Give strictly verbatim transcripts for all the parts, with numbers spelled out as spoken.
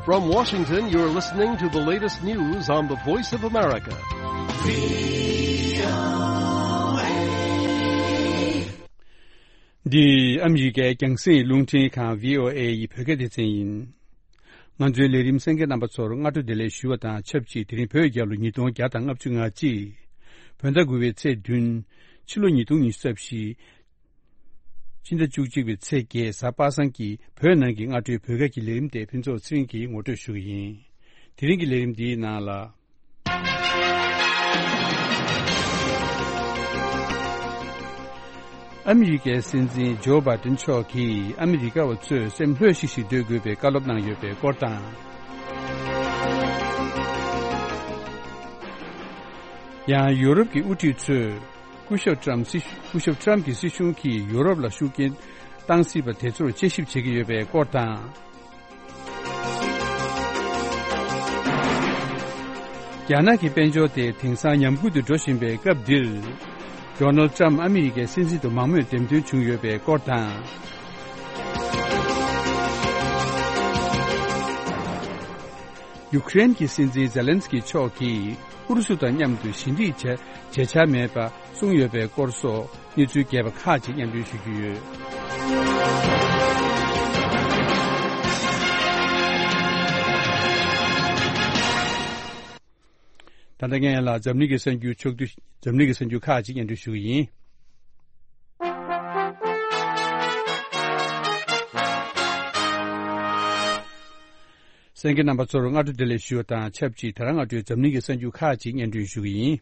From Washington, you're listening to the latest news on the Voice of America. འདི་ཨ་མི་རི་ཀའི་རྒྱང་སྲིང་རླུང་འཕྲིན་ཁང་བྷི་ཨོ་ཨེ་ཡི་བོད་སྐད་སྡེ་ཚན་ཡིན། ང་ཚོའི་ལས་རིམ་གསན་མཁན་རྣམ་པ་ཚོར་སྔ་དྲོ་བདེ་ལེགས་ཞུ་བ་དང་ཆབས་ཅིག་དེ་རིང་བོད་རྒྱལ་ལོ་ཉིས་སྟོང་བརྒྱ་དང་ལྔ་བཅུ་ང་གཅིག་བོད་ཟླ་དགུ་པའི་ཚེས་བདུན། ཕྱི་ལོ་ཉིས་སྟོང་ཉི་ཤུ་རྩ་བཞི། སྤྱི་ཟླ་བཅུ་གཅིག་པའི་ཚེས་བརྒྱད། གཟའ་པ་སངས་ཀྱི་བོད་ནང་གི་སྔ་དྲོའི་བོད་སྐད་ཀྱི་ལས་རིམ་དེ་ཕུན་ཚོགས་ཚེ་རིང་གིས་ངོ་སྤྲོད་ཞུ་གི་ཡིན། དེ་རིང་གི་ལས་རིམ་འདིའི་ནང་ལ། ཨ་མི་རི་ཀའི་སྲིད་འཛིན་ཇོ་བྷའི་ཏིན་མཆོག་གིས་ཨ་མི་རི་ཀ་བ་ཚོས་སེམས་ལྷོད་ཤིག་ཤིག་སྡོད་དགོས་པའི་བཀའ་སློབ་གནང་ཡོད་པའི་སྐོར་དང་། ཡང་ཡོ་རོབ་ཀྱི་དབུ་ཁྲིད་ཚོས་སྐུ་ཞབས་ཏྲམ་སྲིད་སྐུ་ཞབས་ཏྲམ་གྱི་སྲིད་གཞུང་གིས་ཡོ་རོབ་ལ་ཤུགས་རྐྱེན་བཏང་སྲིད་པ་དེ་ཚོར་དཔྱད་ཞིབ་བྱེད་ཀྱི་ཡོད་པའི་སྐོར་དང་། རྒྱ་ནག་གི་དཔལ་འབྱོར་དེ་དེང་སང་ཉམས་རྒུད་དུ་འགྲོ་བཞིན་པའི་སྐབས་འདིར། ཌོ་ནལ་ཏྲམ་ཨ་མི་རི་ཀའི་སྲིད་འཛིན་དུ་མང་མོས་འདེམས་ཐོན་བྱུང་ཡོད་པའི་སྐོར་དང་། ཡུ་ཀེ་རེན་གྱི་སྲིད་འཛིན་ཛེ་ལན་སི་ཀི་མཆོག་གིས་ཨུ་རུ་སུ་དང་མཉམ་དུ་ཞི་འགྲིག་བྱ་བྱེད་འཆར་མེད་པ་གསུངས་ཡོད་པའི་སྐོར་སོགས། གནས་ཚུལ་རྒྱས་པ་ཁག་ཅིག་སྙན་སྒྲོན་ཞུ་རྒྱུ་ཡོད། ད་ལྟ་ངས་ལ་འཛམ་གླིང་གི་གསར་འགྱུར་ཕྱོགས་བསྡུས། འཛམ་གླིང་གི་གསར་འགྱུར་ཁག་ཅིག་སྙན་སྒྲོན་ཞུ་གི་ཡིན། གསན་མཁན་རྣམ་པ་ཚོར་སྔ་དྲོ་བདེ་ལེགས་ཞུ་བ་དང་ཆབས་ཅིག་ད་རང་སྔ་དྲོའི་འཛམ་གླིང་གི་གསར་འགྱུར་ཁག་ཅིག་སྙན་སྒྲོན་ཞུ་གི་ཡིན།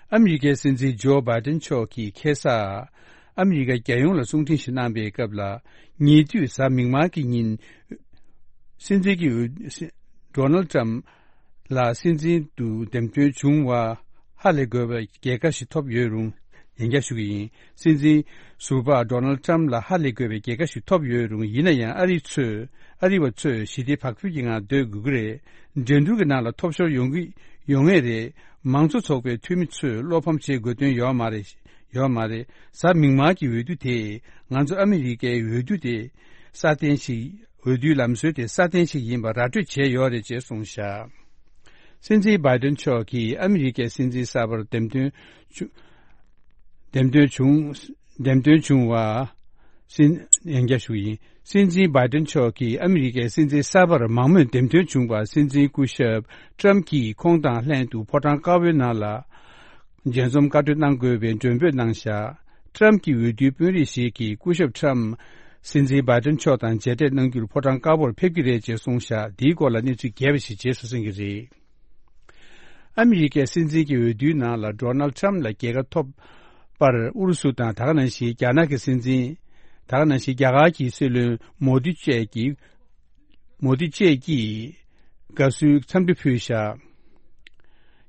ཨ་མི་རི་ཀའི་སྲིད་འཛིན་ཇོ་བྷའི་ཏིན་མཆོག་གིས་ཁ་སང་ཨ་མི་རི་ཀ་རྒྱལ་ཡོངས་ལ་གསུང་འཕྲིན་ཞིག་གནང་པའི་སྐབས་ལ། ཉེ་དུས་གཟའ་མིག་དམར་གྱི་ཉིན། སྲིད་འཛིན་གྱི་འོས། ཌོ་ནལ་ཏྲམ་ལ་སྲིད་འཛིན་དུ་འདེམས་ཐོན་བྱུང་བ་ཧ་ལས་དགོས་པའི་རྒྱལ་ཁ་ཞིག་ཐོབ་ཡོད་རུང་། ཡང་བསྐྱར་ཞུ་གི་ཡིན། སྲིད་འཛིན་ཟུར་པ་ཌོ་ནལ་ཏྲམ་ལ་ཧ་ལས་དགོས་པའི་རྒྱལ་ཁ་ཞིག་ཐོབ་ཡོད་རུང་། ཡིན་ན་ཡང་ཨ་རི་ཚོས། ཨ་རི་བ་ཚོས་ཞི་བདེ་བག་ཕེབས་ཀྱི་ངང་སྡོད་དགོས་ཀྱི་རེད། འགྲན་བསྡུར་གྱི་ནང་ལ་ཐོབ་ཤོར་ཡོང་གི་ཡོང་ངེས་རེད། མང་གཙོ་ཚོགས་པའི་འཐུས་མི་ཚོས་བློ་ཕམ་བྱེད་དགོས་དོན་ཡོད་མ་རེད། ཡོད་མ་རེད། གཟའ་མིག་དམར་གྱི་འོས་བསྡུ་དེས་ང་ཚོ་ཨ་མི་རི་ཀའི་འོས་བསྡུ་དེ་སྲ་བརྟན་ཞིག་འོས་བསྡུའི་ལམ་སྲོལ་དེ་སྲ་བརྟན་ཞིག་ཡིན་པ་ར་སྤྲོད་བྱས་ཡོད་རེད་ཅེས་གསུངས་བཞག་སྲིད་འཛིན་བྷའི་ཏིན་མཆོག་གིས་ཨ་མི་རི་ཀའི་སྲིད་འཛིན་གསར་པར་འདེམས་ཐོན་བྱུང་། འདེམས་ཐོན་བྱུང་། འདེམས་ཐོན་བྱུང་བ། སྲིད། ཡང་བསྐྱར་ཞུ་ཡིན། སྲིད་འཛིན་བྷའི་ཏིན་མཆོག་གིས་ཨ་མི་རི་ཀའི་སྲིད་འཛིན་གསར་པར་མང་མོས་འདེམས་ཐོན་བྱུང་བར། སྲིད་འཛིན་སྐུ་ཞབས་ཏྲམ་གྱིས་ཁོང་དང་ལྷན་དུ་ཕོ་བྲང་དཀར་པོའི་ནང་ལ། མཇལ་འཛོམས་བཀའ་གྲོས་གནང་དགོས་པའི་མགྲོན་འབོད་གནང་བཞག་ཏྲམ་གྱི་འོས་བསྡུའི་དཔོན་རིགས་ཤིག་གིས་སྐུ་ཞབས་ཏྲམ་སྲིད་འཛིན་བྷའི་ཏིན་མཆོག་དང་མཇལ་འཕྲད་གནང་རྒྱུར་ཕོ་བྲང་དཀར་པོར་ཕེབས་ཀྱི་རེད་ཅེས་གསུངས་བཞག་འདིའི་སྐོར་ལ་གནས་ཚུལ་རྒྱས་པ་ཞིག་རྗེས་སུ་གསན་གྱི་རེད། ཨ་མི་རི་ཀའི་སྲིད་འཛིན་གྱི་འོས་བསྡུའི་ནང་ལ་ཌོ་ནལ་ཏྲམ་ལ་རྒྱལ་ཁ་ཐོབ་པར་ཨུ་རུ་སུ་དང་། ད་ག་ནང་བཞིན་རྒྱ་ནག་གི་སྲིད་འཛིན། ད་ག་ནང་བཞིན་རྒྱ་གར་གྱི་སྲིད་བློན་མོ་དི་བཅས་ཀྱིས། མོ་དི་བཅས་ཀྱིས་དགའ་བསུའི་འཚམས་འདྲི་ཕུལ་བཞག་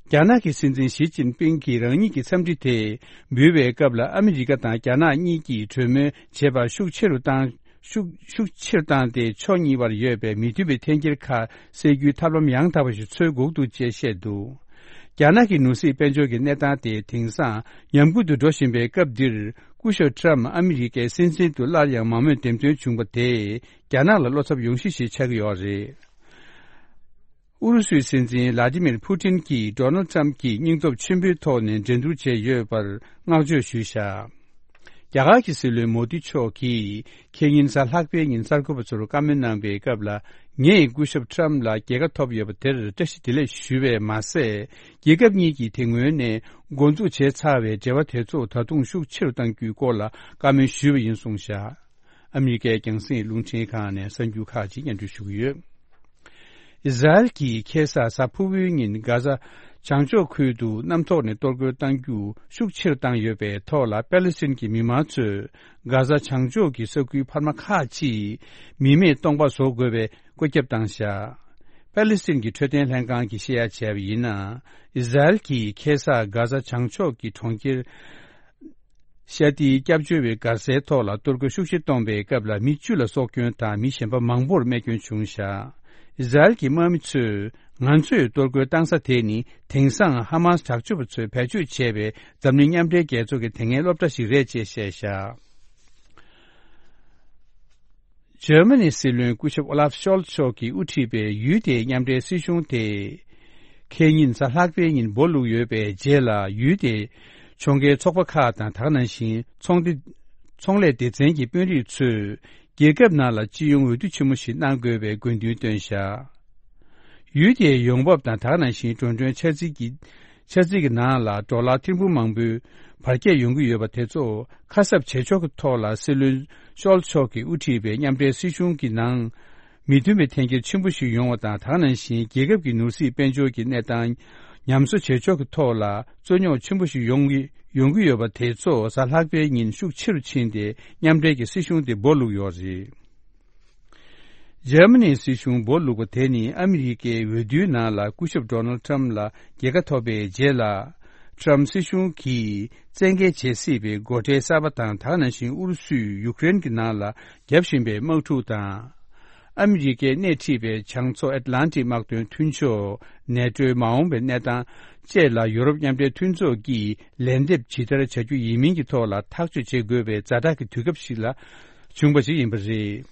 རྒྱ་ནག་གི་སྲིད་འཛིན་ཞི་ཅིན་ཕིང་གིས་རང་ཉིད་ཀྱི་འཚམས་འདྲི་དེ་འབུལ་བའི་སྐབས་ལ། ཨ་མི་རི་ཀ་དང་རྒྱ་ནག་གཉིས་ཀྱིས་གྲོས་མོལ་བྱེད་པར་ཤུགས་ཆེ་རུ་བཏང་། ཤུགས་ཤུགས་ཆེ་རུ་བཏང་སྟེ། ཕྱོགས་གཉིས་བར་ཡོད་པའི་མི་མཐུན་པའི་འཐེན་འཁྱེར་ཁག་སེལ་རྒྱུའི་ཐབས་ལམ་ཡང་དག་པ་ཞིག་འཚོལ་དགོས་འདུག་ཅེས་བཤད་འདུག་རྒྱ་ནག་གི་ནང་སྲིད་དཔལ་འབྱོར་གྱི་གནས་སྟངས་དེ་དེང་སང་ཉམས་རྒུད་དུ་འགྲོ་བཞིན་པའི་སྐབས་འདིར། སྐུ་ཞབས་ཏྲམ་ཨ་མི་རི་ཀའི་སྲིད་འཛིན་དུ་སླར་ཡང་མང་མོས་འདེམས་ཐོན་བྱུང་བ་དེས་རྒྱ་ནག་ལ་བློ་འཚབ་ཡོང་གཞི་ཞིག་ཆགས་ཀྱི་ཡོད་རེད། ཨུ་རུ་སུའི་སྲིད་འཛིན་ལ་ཏི་མིར་ཕུ་ཏིན་གྱིས་ཌོ་ནལ་ཏྲམ་གྱི་སྙིང་སྟོབས་ཆེན་པོའི་ཐོག་ནས་འགྲན་བསྡུར་བྱས་ཡོད་པར་བསྔགས་བརྗོད་ཞུས་བཞག་རྒྱ་གར་གྱི་སྲིད་བློན་མོ་དི་མཆོག་གིས་ཁེ་ཉིན་གཟའ་ལྷག་པའི་ཉིན་གསར་འགོད་པ་ཚོར་བཀའ་མོལ་གནང་པའི་སྐབས་ལ། ངས་སྐུ་ཞབས་ཏྲམ་ལ་རྒྱལ་ཁ་ཐོབ་ཡོད་པ་དེར་བཀྲ་ཤིས་བདེ་ལེགས་ཞུ་བས་མ་ཟད། རྒྱལ་ཁབ་གཉིས་ཀྱིས་དེ་སྔོན་ནས་འགོ་འཛུགས་བྱས་ཚར་བའི་འབྲེལ་བ་དེ་ཚོ་ད་དུང་ཤུགས་ཆེ་རུ་གཏང་རྒྱུའི་སྐོར་ལ་བཀའ་མོལ་ཞུས་པ་ཡིན་གསུངས་བཞག་ཨ་མི་རི་ཀའི་རྒྱང་སྲིང་རླུང་འཕྲིན་ཁང་ནས་གསར་འགྱུར་ཁག་ཅིག་སྙན་སྒྲོན་ཞུ་གི་ཡོད། ཨི་ཟ་རེལ་གྱིས་ཁ་སང་གཟའ་ཕུར་བུའི་ཉིན་གྷ་ཟ་བྱང་ཕྱོགས་ཁུལ་དུ་གནམ་ཐོག་ནས་གཏོར་རྒོལ་གཏང་རྒྱུ་ཤུགས་ཆེ་རུ་བཏང་ཡོད་པའི་ཐོག་ལ། པེ་ལེ་སི་ཐན་གྱི་མི་མང་ཚོས་གྷ་ཟ་བྱང་ཕྱོགས་ཀྱི་ས་ཁུལ་འཕར་མ་ཁག་ཅིག་མི་མེད་སྟོང་པ་བཟོ་དགོས་པའི་བཀོད་ཁྱབ་བཏང་བཞག་པེ་ལེ་སི་ཐན་གྱི་འཕྲོད་བསྟེན་ལྷན་ཁང་གིས་བཤད་ཡ་བྱས་པ་ཡིན་ན། ཨི་ཟ་རེལ་གྱིས་ཁ་སང་གྷ་ཟ་བྱང་ཕྱོགས་ཀྱི་གྲོང་ཁྱེར་ཤ་ཏིའི་སྐྱབས་བཅོལ་བའི་སྒར་སའི་ཐོག་ལ་གཏོར་རྒོལ་ཤུགས་ཆེ་བཏང་བའི་སྐབས་ལ། མི་བཅུ་ལ་སྲོག་སྐྱོན་དང་མི་གཞན་པ་མང་པོར་རྨས་སྐྱོན་བྱུང་བཞག་ཨི་ཟ་རེལ་གྱི་དམག་མི་ཚོས། ང་ཚོས་གཏོར་རྒོལ་བཏང་ས་དེ་ནི་དེང་སང་ཧ་མཱས་དྲག་སྤྱོད་པ་ཚོས་བེད་སྤྱོད་བྱས་པའི་འཛམ་གླིང་མཉམ་འབྲེལ་རྒྱལ་ཚོགས་ཀྱི་དེ་སྔའི་སློབ་གྲྭ་ཞིག་རེད་ཅེས་བཤད་བཞག་འཇར་མ་ནི་སྲིད་བློན་སྐུ་ཞབས་ཨོ་ལཱབ་ཤོལ་མཆོག་གིས་དབུ་ཁྲིད་པའི་ཡུལ་དེའི་མཉམ་འབྲེལ་སྲིད་གཞུང་དེ། ཁེ་ཉིན་གཟའ་ལྷག་པའི་ཉིན་སྦོ་ལུག་ཡོད་པའི་རྗེས་ལ། ཡུལ་དེའི་ཕྱོགས་འགལ་ཚོགས་པ་ཁག་དང་། ད་ག་ནང་བཞིན་ཚོང་སྡེ། ཚོང་ལས་སྡེ་ཚན་གྱི་དཔོན་རིགས་ཚོས། རྒྱལ་ཁབ་ནང་ལ་སྤྱི་ཡོངས་འོས་བསྡུ་ཆེན་མོ་ཞིག་གནང་དགོས་པའི་དགོས་འདུན་བཏོན་བཞག་ཡུལ་དེའི་ཡོང་འབབ་དང་། ད་ག་ནང་བཞིན་འགྲོ་གྲོན་འཆར་རྩིས་ཀྱི། འཆར་རྩིས་ཀྱི་ནང་ལ་ཌོ་ལར་ཐེར་འབུམ་མང་པོའི་བར་ཁྱད་ཡོང་གི་ཡོད་པ་དེ་ཚོ་ཁ་གསབ་བྱེད་ཕྱོགས་ཀྱི་ཐོག་ལ། སྲིད་བློན་ཤོལ་མཆོག་གིས་དབུ་ཁྲིད་པའི་མཉམ་འབྲེལ་སྲིད་གཞུང་གི་ནང་མི་མཐུན་པའི་འཐེན་འཁྱེར་ཆེན་པོ་ཞིག་ཡོང་བ་དང་། ད་ག་ནང་བཞིན་རྒྱལ་ཁབ་ཀྱི་ནོར་སྲིད་དཔལ་འབྱོར་གྱི་གནས་སྟངས་ཉམས་གསོ་བྱེད་ཕྱོགས་ཀྱི་ཐོག་ལ་རྩོད་རྙོག་ཆེན་པོ་ཞིག་ཡོང་གི་ཡོང་གི་ཡོད་པ་དེ་ཚོ་གཟའ་ལྷག་པའི་ཉིན་ཤུགས་ཆེ་རུ་ཕྱིན་ཏེ། མཉམ་འབྲེལ་གྱི་སྲིད་གཞུང་དེ་སྦོ་ལུག་ཡོད་རེད། འཇར་མ་ནིའི་སྲིད་གཞུང་སྦོ་ལུག་པ་དེ་ནི་ཨ་མི་རི་ཀའི་འོས་བསྡུའི་ནང་ལ་སྐུ་ཞབས་ཌོ་ནལ་ཊམ་ལ་རྒྱལ་ཁ་ཐོབ་པའི་རྗེས་ལ། ཊམ་སྲིད་གཞུང་གིས་བཙན་འགེལ་བྱེད་སྲིད་པའི་སྒོ་ཁྲལ་གསར་པ་དང་། ད་ག་ནང་བཞིན་ཨུ་རུ་སུས་ཡུཀ་རེན་གྱི་ནང་ལ་བརྒྱབ་བཞིན་པའི་དམག་འཁྲུག་དང་། ཨ་མི་རི་ཀས་སྣེ་ཁྲིད་པའི་བྱང་མཚོ་ཨེཊ་ལན་ཊིག་དམག་དོན་མཐུན་ཕྱོགས་ནེ་ཊོའི་མ་འོངས་པའི་གནས་སྟངས་བཅས་ལ་ཡུ་རོབ་མཉམ་འབྲེལ་མཐུན་ཚོགས་ཀྱིས་ལན་འདེབས་ཇི་ལྟར་བྱ་རྒྱུ་ཡིན་མིན་གྱི་ཐོག་ལ་ཐག་གཅོད་བྱེད་དགོས་པའི་ཛ་དྲག་གི་དུས་སྐབས་ཤིག་ལ་བྱུང་བ་ཞིག་ཡིན་པ་རེད།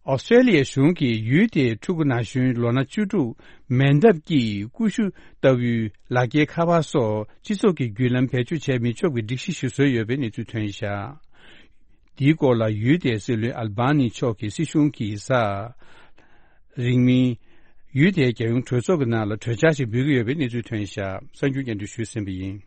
ཨོ་སི་ཀྲེ་ལི་ཡའི་གཞུང་གིས་ཡུལ་དེའི་ཕྲུ་གུ་ན་གཞོན་ལོ་ན་བཅུ་དྲུག་མེ་མདའ་གྱིས་ཀུ་ཤུ་ལྟ་བུའི་ལག་འཁྱེར་ཁ་པར་སོགས་སྤྱི་ཚོགས་ཀྱི་བརྒྱུད་ལམ་བེད་སྤྱོད་བྱས་མི་ཆོག་པའི་སྒྲིག་གཞི་ཞིག་བཟོས་ཡོད་པའི་གནས་ཚུལ་ཐོན་བཞག་འདིའི་སྐོར་ལ་ཡུལ་དེའི་སྲིད་བློན་ཨལ་བྷ་ནི་མཆོག་གིས་སྲིད་གཞུང་གི་གཟའ་རིང་མིན་ཡུལ་དེའི་རྒྱལ་ཡོངས་གྲོས་ཚོགས་ཀྱི་ནང་ལ་གྲོས་འཆར་ཞིག་འབུལ་གྱི་ཡོད་པའི་གནས་ཚུལ་ཐོན་བཞག་གསར་འགྱུར་སྙན་སྒྲོན་ཞུས་ཟིན་པ་ཡིན།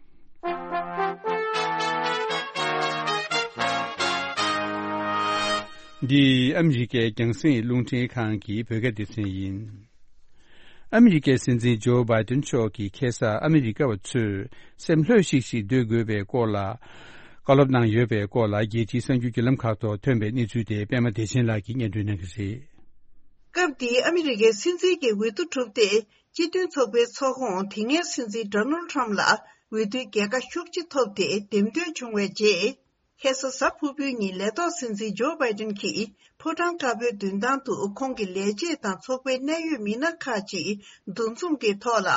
འདི་ཨ་མི་རི་ཀའི་རྒྱང་སྲིང་རླུང་འཕྲིན་ཁང་གི་བོད་སྐད་སྡེ་ཚན་ཡིན། ཨ་མི་རི་ཀའི་སྲིད་འཛིན་ཇོ་བྷའི་ཏིན་མཆོག་གིས་ཁ་སང་ཨ་མི་རི་ཀ་བ་ཚོས་སེམས་ལྷོད་ཤིག་ཤིག་སྡོད་དགོས་པའི་སྐོར་ལ་བཀའ་སློབ་གནང་ཡོད་པའི་སྐོར་ལ། རྒྱལ་སྤྱིའི་གསར་འགྱུར་བརྒྱུད་ལམ་ཁག་ཐོག་ཐོན་པའི་གནས་ཚུལ་དེ་པད་མ་བདེ་ཆེན་ལགས་ཀྱིས་སྙན་སྒྲོན་གནང་གི་རེད། སྐབས་དེའི་ཨ་མི་རི་ཀའི་སྲིད་འཛིན་གྱི་འོས་བསྡུ་གྲུབ་སྟེ། སྤྱི་མཐུན་ཚོགས་པའི་ཚོགས་ཁོངས་དེ་སྔའི་སྲིད་འཛིན་ཌོ་ནལ་ཁྲམ་ལ་འོས་བསྡུའི་རྒྱལ་ཁ་ཤུགས་ཆེ་ཐོབ་སྟེ་འདེམས་ཐོན་བྱུང་བའི་རྗེས། ཁ་སང་གཟའ་ཕུར་བུའི་ཉིན་ལས་ཐོག་སྲིད་འཛིན་ཇོ་བྷའི་ཏིན་གྱིས་ཕོ་བྲང་དཀར་པོའི་མདུན་ཐང་དུ་ཁོང་གི་ལས་བྱེད་དང་ཚོགས་པའི་གནད་ཡོད་མི་སྣ་ཁག་ཅིག་འདུ་འཛོམས་ཀྱི་ཐོག་ལ་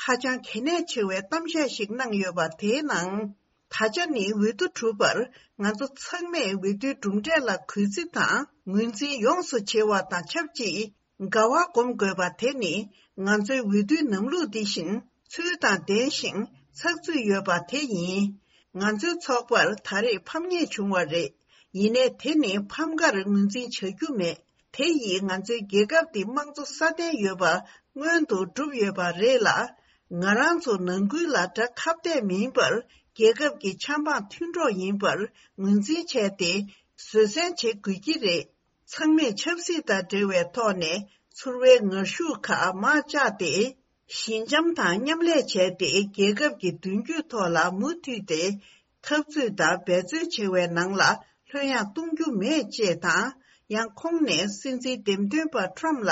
ཧ་ཅང་གལ་གནད་ཆེ་བའི་གཏམ་བཤད་ཞིག་གནང་ཡོད་པ། དེའི་ནང་། ད་ཆ་ནི་འོས་བསྡུ་གྲུབ་པར་ང་ཚོ་ཚང་མས་འོས་བསྡུའི་གྲུབ་འབྲས་ལ་གུས་བརྩི་དང་ངོས་འཛིན་ཡོངས་སུ་བྱེད་པ་དང་ཆབས་ཅིག་དགའ་བ་སྒོམ་དགོས་པ་དེ་ནི་ང་ཚོའི་འོས་བསྡུའི་ལམ་ལུགས་འདི་བཞིན་ཚུལ་དང་ལྡན་ཞིང་ཚགས་ཚུད་ཡོད་པ་དེ་ཡིན། ང་ཚོའི་ཚོགས་པར་ད་རེས་ཕམ་ཉེས་བྱུང་བ་རེད། ཡིན་ནའི་དེ་ནི་ཕམ་ཁར་ངོས་འཛིན་བྱ་རྒྱུ་མེད། དེ་ཡིས་ང་ཚོའི་རྒྱལ་ཁབ་འདི་དམངས་གཙོ་སྲ་བརྟན་ཡོད་པ་སྔོན་དུ་བསྒྲུབས་ཡོད་པ་རེད་ལ། ང་རང་ཚོ་ནང་ཁུལ་ལ་དགྲ་ཁ་གཏད་མིན་པར་རྒྱལ་ཁབ་ཀྱི་ཆབ་འབངས་མཐུན་གྲོགས་ཡིན་པར་ངོས་འཛིན་བྱས་ཏེ། བཟོད་བསྲན་བྱེད་དགོས་ཀྱི་རེད། ཚང་མས་ཆབ་སྲིད་དང་འབྲེལ་བའི་ཐོག་ནས་ཚོར་བའི་ངར་ཤུགས་ཁག་མར་བཅག་སྟེ། ཞི་འཇམ་དང་མཉམ་ལས་བྱས་ཏེ། རྒྱལ་ཁབ་ཀྱི་མདུན་སྐྱོད་ཐོག་ལ་མུ་མཐུད་དེ་འཐབ་རྩོད་དང་འབད་རྩོལ་བྱེད་པའི་ནང་ལ་ལྷོད་ཡངས་གཏོང་རྒྱུ་མེད་ཅེས་དང་། ཡང་ཁོང་ནས་སྲིད་འཛིན་འདེམས་ཐོན་པ་ཁྲམ་ལ་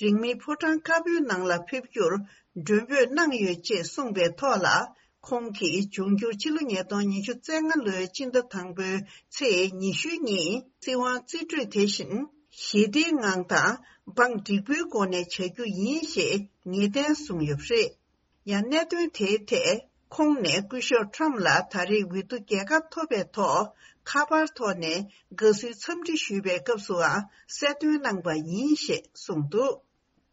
རིང་མིན་ཕོ་བྲང་དཀར་པོའི་ནང་ལ་ཕེབས་རྒྱུར་མགྲོན་འབོད་གནང་ཡོད་ཅེས་གསུངས་པའི་ཐོག་ལ། ཁོང་གིས་འབྱུང་འགྱུར་ཕྱི་ལོ་ཉིས་སྟོང་ཉི་ཤུ་རྩ་ལྔ་ལོའི་སྤྱི་ཟླ་དང་པོའི་ཚེས་ཉི་ཤུའི་ཉིན་སྲིད་དབང་རྩིས་སྤྲོད་དེ་བཞིན་ཞི་བདེའི་ངང་དང་འབངས་འགྲིག་པོའི་སྒོ་ནས་བྱ་རྒྱུ་ཡིན་ཞེས་ངེས་གཏན་བཟུང་ཡོད་པ་རེད། ཡང་གནད་དོན་དེའི་ཐད་ཁོང་ནས་སྐུ་ཞབས་ཁྲམ་ལ་ད་རེས་འོས་བསྡུ་རྒྱལ་ཁ་ཐོབ་པའི་ཐོག་ཁ་པར་ཐོག་ནས་དགའ་བསུའི་འཚམས་འདྲི་ཞུས་པའི་སྐབས་སུའང་གསལ་སྟོན་གནང་པ་ཡིན་ཞེས་གསུངས་འདུག་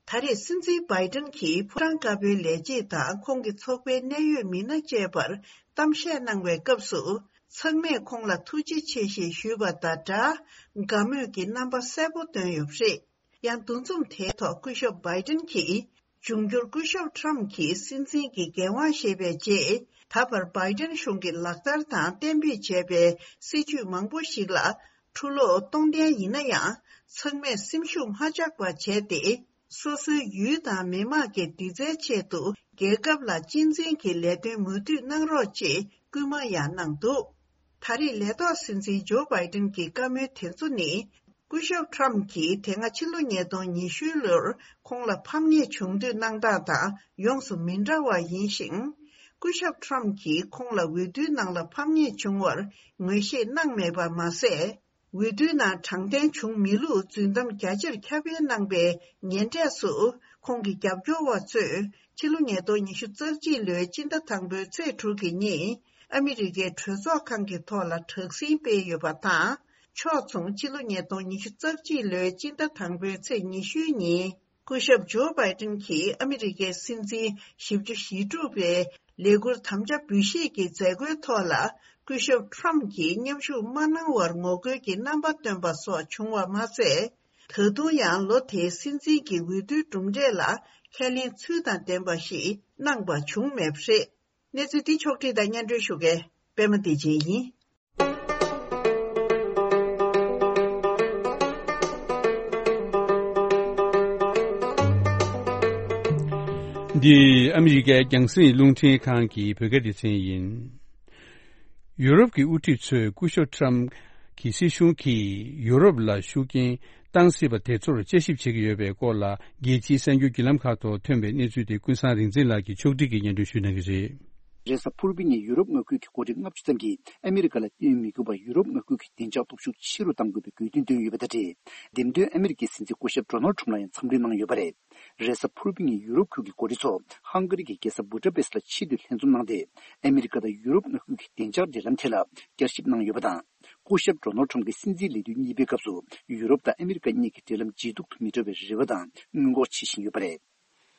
ད་རེས་སྲིད་འཛིན་བྷའི་ཏིན་གྱིས་ཕོ་བྲང་དཀར་པོའི་ལས་བྱེད་དང་ཁོང་གི་ཚོགས་པའི་གནད་ཡོད་མི་སྣ་བཅས་པར་གཏམ་བཤད་གནང་བའི་སྐབས་སུ། ཚང་མས་ཁོང་ལ་ཐུགས་རྗེ་ཆེ་ཞེས་ཞུས་པ་དང་སྦྲགས། དགའ་མོས་ཀྱི་རྣམ་པ་གསལ་པོ་བཏོན་ཡོད་པ་རེད། ཡང་འདུ་འཛོམས་དེའི་ཐོག་སྐུ་ཞབས་བྷའི་ཏིན་གྱིས། འབྱུང་འགྱུར་སྐུ་ཞབས་ཁྲམ་གྱིས་སྲིད་འཛིན་གྱི་འགན་དབང་བཞེས་པའི་རྗེས། ད་བར་བྷའི་ཏིན་གཞུང་གིས་ལག་བསྟར་དང་གཏན་འབེབས་བྱས་པའི་སྲིད་ཇུས་མང་པོ་ཞིག་ལ་འཁྲུ་སློག་གཏོང་གཏན་ཡིན་ན་ཡང་། ཚང་མས་སེམས་ཤུགས་མ་ཆག་པ་བྱས་ཏེ། སོ་སོའི་ཡུལ་དང་མི་དམངས་ཀྱི་བདེ་རྩའི་ཆེད་དུ་རྒྱལ་ཁབ་ལ་གཅེས་འཛིན་གྱི་ལས་དོན་མུ་མཐུད་གནང་རོགས་ཅེས་སྐུལ་མ་ཡང་གནང་འདུག་ད་རེས་ལས་ཐོག་སྲིད་འཛིན་ཇོ་བྷའི་ཏིན་གྱི་བཀའ་མོལ་དེ་ཚོ་ནི། སྐུ་ཞབས་ཁྲམ་གྱིས་དེ་སྔ་ཕྱི་ལོ་ཉིས་སྟོང་ཉི་ཤུའི་ལོར་ཁོང་ལ་ཕམ་ཉེས་བྱུང་དུས་གནང་སྟངས་དང་ཡོངས་སུ་མི་འདྲ་བ་ཡིན་ཞིང་། སྐུ་ཞབས་ཁྲམ་གྱིས་ཁོང་ལ་འོས་བསྡུའི་ནང་ལ་ཕམ་ཉེས་བྱུང་བར་ངོས་བཞེས་གནང་མེད་པ་མ་ཟད། འོས་བསྡུའི་ནང་དྲང་བདེན་བྱུང་མེད་ལུགས་རྫུན་གཏམ་རྒྱ་ཆེར་ཁྱབ་སྤེལ་གནང་པའི་ཉེ་འབྲས་སུ། ཁོང་གི་རྒྱབ་སྐྱོར་བ་ཚོས་ཕྱི་ལོ་ཉིས་སྟོང་ཉི་ཤུ་རྩ་གཅིག་ལོའི་སྤྱི་ཟླ་དང་པོའི་ཚེས་དྲུག་གི་ཉིན་ཨ་མི་རི་ཀའི་གྲོས་ཚོགས་ཁང་གི་ཐོག་ལ་དྲག་ཟིང་སྤེལ་ཡོད་པ་དང་། ཕྱོགས་མཚུངས་ཕྱི་ལོ་ཉིས་སྟོང་ཉི་ཤུ་རྩ་གཅིག་ལོའི་སྤྱི་ཟླ་དང་པོའི་ཚེས་ཉི་ཤུའི་ཉིན། སྐུ་ཞབས་ཇོ་བྷའི་ཏིན་གྱིས་ཨ་མི་རི་ཀའི་སྲིད་འཛིན་བཞི་བཅུ་ཞེ་དྲུག་པའི་ལས་འཁུར་དམ་བཅའ་འབུལ་བཞེས་ཀྱི་མཛད་སྒོའི་ཐོག་ལ། སྐུ་ཞབས་ཁྲོམ་གྱིས་མཉམ་ཞུགས་མ་གནང་བར་ངོ་རྒོལ་གྱི་རྣམ་པ་སྟོན་པ་སོགས་བྱུང་བ་མ་ཟད། ད་དུང་ཡང་ལོ་དེའི་སྲིད་འཛིན་གྱི་འོས་བསྡུའི་གྲུབ་འབྲས་ལ་ཁས་ལེན་ཚུལ་དང་ལྡན་པ་ཞིག་གནང་པ་བྱུང་མེད་པ་རེད། གནས་ཚུལ་འདི་ཕྱོགས་བསྒྲིགས་དང་སྙན་སྒྲོན་ཞུ་མཁན་པད་མ་བདེ་ཆེན་ཡིན། འདི་ཨ་མི་རི་ཀའི་རྒྱང་སྲིང་རླུང་འཕྲིན་ཁང་གི་བོད་སྐད་སྡེ་ཚན་ཡིན། ཡུ་རོབ་ཀྱི་དབུ་ཁྲིད་ཚོས་སྐུ་ཞབས་ཁྲམ་གྱི་སྲིད་གཞུང་གིས་ཡུ་རོབ་ལ་ཤུགས་རྐྱེན་བཏང་སྲིད་པ་དེ་ཚོར་དཔྱད་ཞིབ་བྱེད་ཀྱི་ཡོད་པའི་སྐོར་ལ། རྒྱལ་སྤྱིའི་གསར་འགྱུར་བརྒྱུད་ལམ་ཁག་ཐོག་ཐོན་པའི་གནས་ཚུལ་དེ་ཀུན་བཟང་རིག་འཛིན་ལགས་ཀྱིས་ཕྱོགས་སྒྲིག་གིས་སྙན་སྒྲོན་ཞུ་གནང་གི་རེད། རེས་གཟའ་ཕུར་བུའི་ཉིན་ཡུ་རོབ་མངའ་ཁུལ་གྱི་འགོ་ཁྲིད་ལྔ་བཅུ་ཙམ་གྱིས་ཨ་མི་རི་ཀ་ལ་བསྟེན་མི་དགོས་པར་ཡུ་རོབ་མངའ་ཁུལ་གྱི་བདེ་འཇགས་སྟོབས་ཤུགས་ཆེ་རུ་གཏང་དགོས་པའི་དགོས་འདུན་བཏོན་ཡོད་པ་དང་འབྲེལ། འདེམས་ཐོན་ཨ་མི་རི་ཀའི་སྲིད་འཛིན་སྐུ་ཞབས་ཌོ་ནལ་ཁྲོམ་ལ་ཡང་འཚམས་འདྲི་གནང་ཡོད་པ་རེད། རེས་གཟའ་ཕུར་བུའི་ཉིན་ཡུ་རོབ་ཁུལ་གྱི་འགོ་ཁྲིད་ཚོ་ཧང་ག་རི་གི་རྒྱལ་ས་བུ་ཌ་པེ་སི་ལ་ཆེད་དུ་ལྷན་འཛོམས་གནང་སྟེ། ཨ་མི་རི་ཀ་དང་ཡུ་རོབ་མངའ་ཁུལ་གྱི་བདེ་འཇགས་འབྲེལ་ལམ་ཐད་ལ་བསྐྱར་ཞིབ་གནང་ཡོད་པ་དང་། སྐུ་ཞབས་ཌོ་ནལ་ཁྲོམ་གྱིས་སྲིད་འཛིན་ལས་དུས་གཉིས་པའི་སྐབས་སུ་ཡུ་རོབ་དང་ཨ་མི་རི་ཀ་གཉིས་ཀྱི་འབྲེལ་ལམ་ཇེ་སྡུག་ཏུ་མི་འགྲོ་བའི་རེ་བ་དང་སྔོན་འགོག་བྱེད་བཞིན་ཡོད་པ་རེད།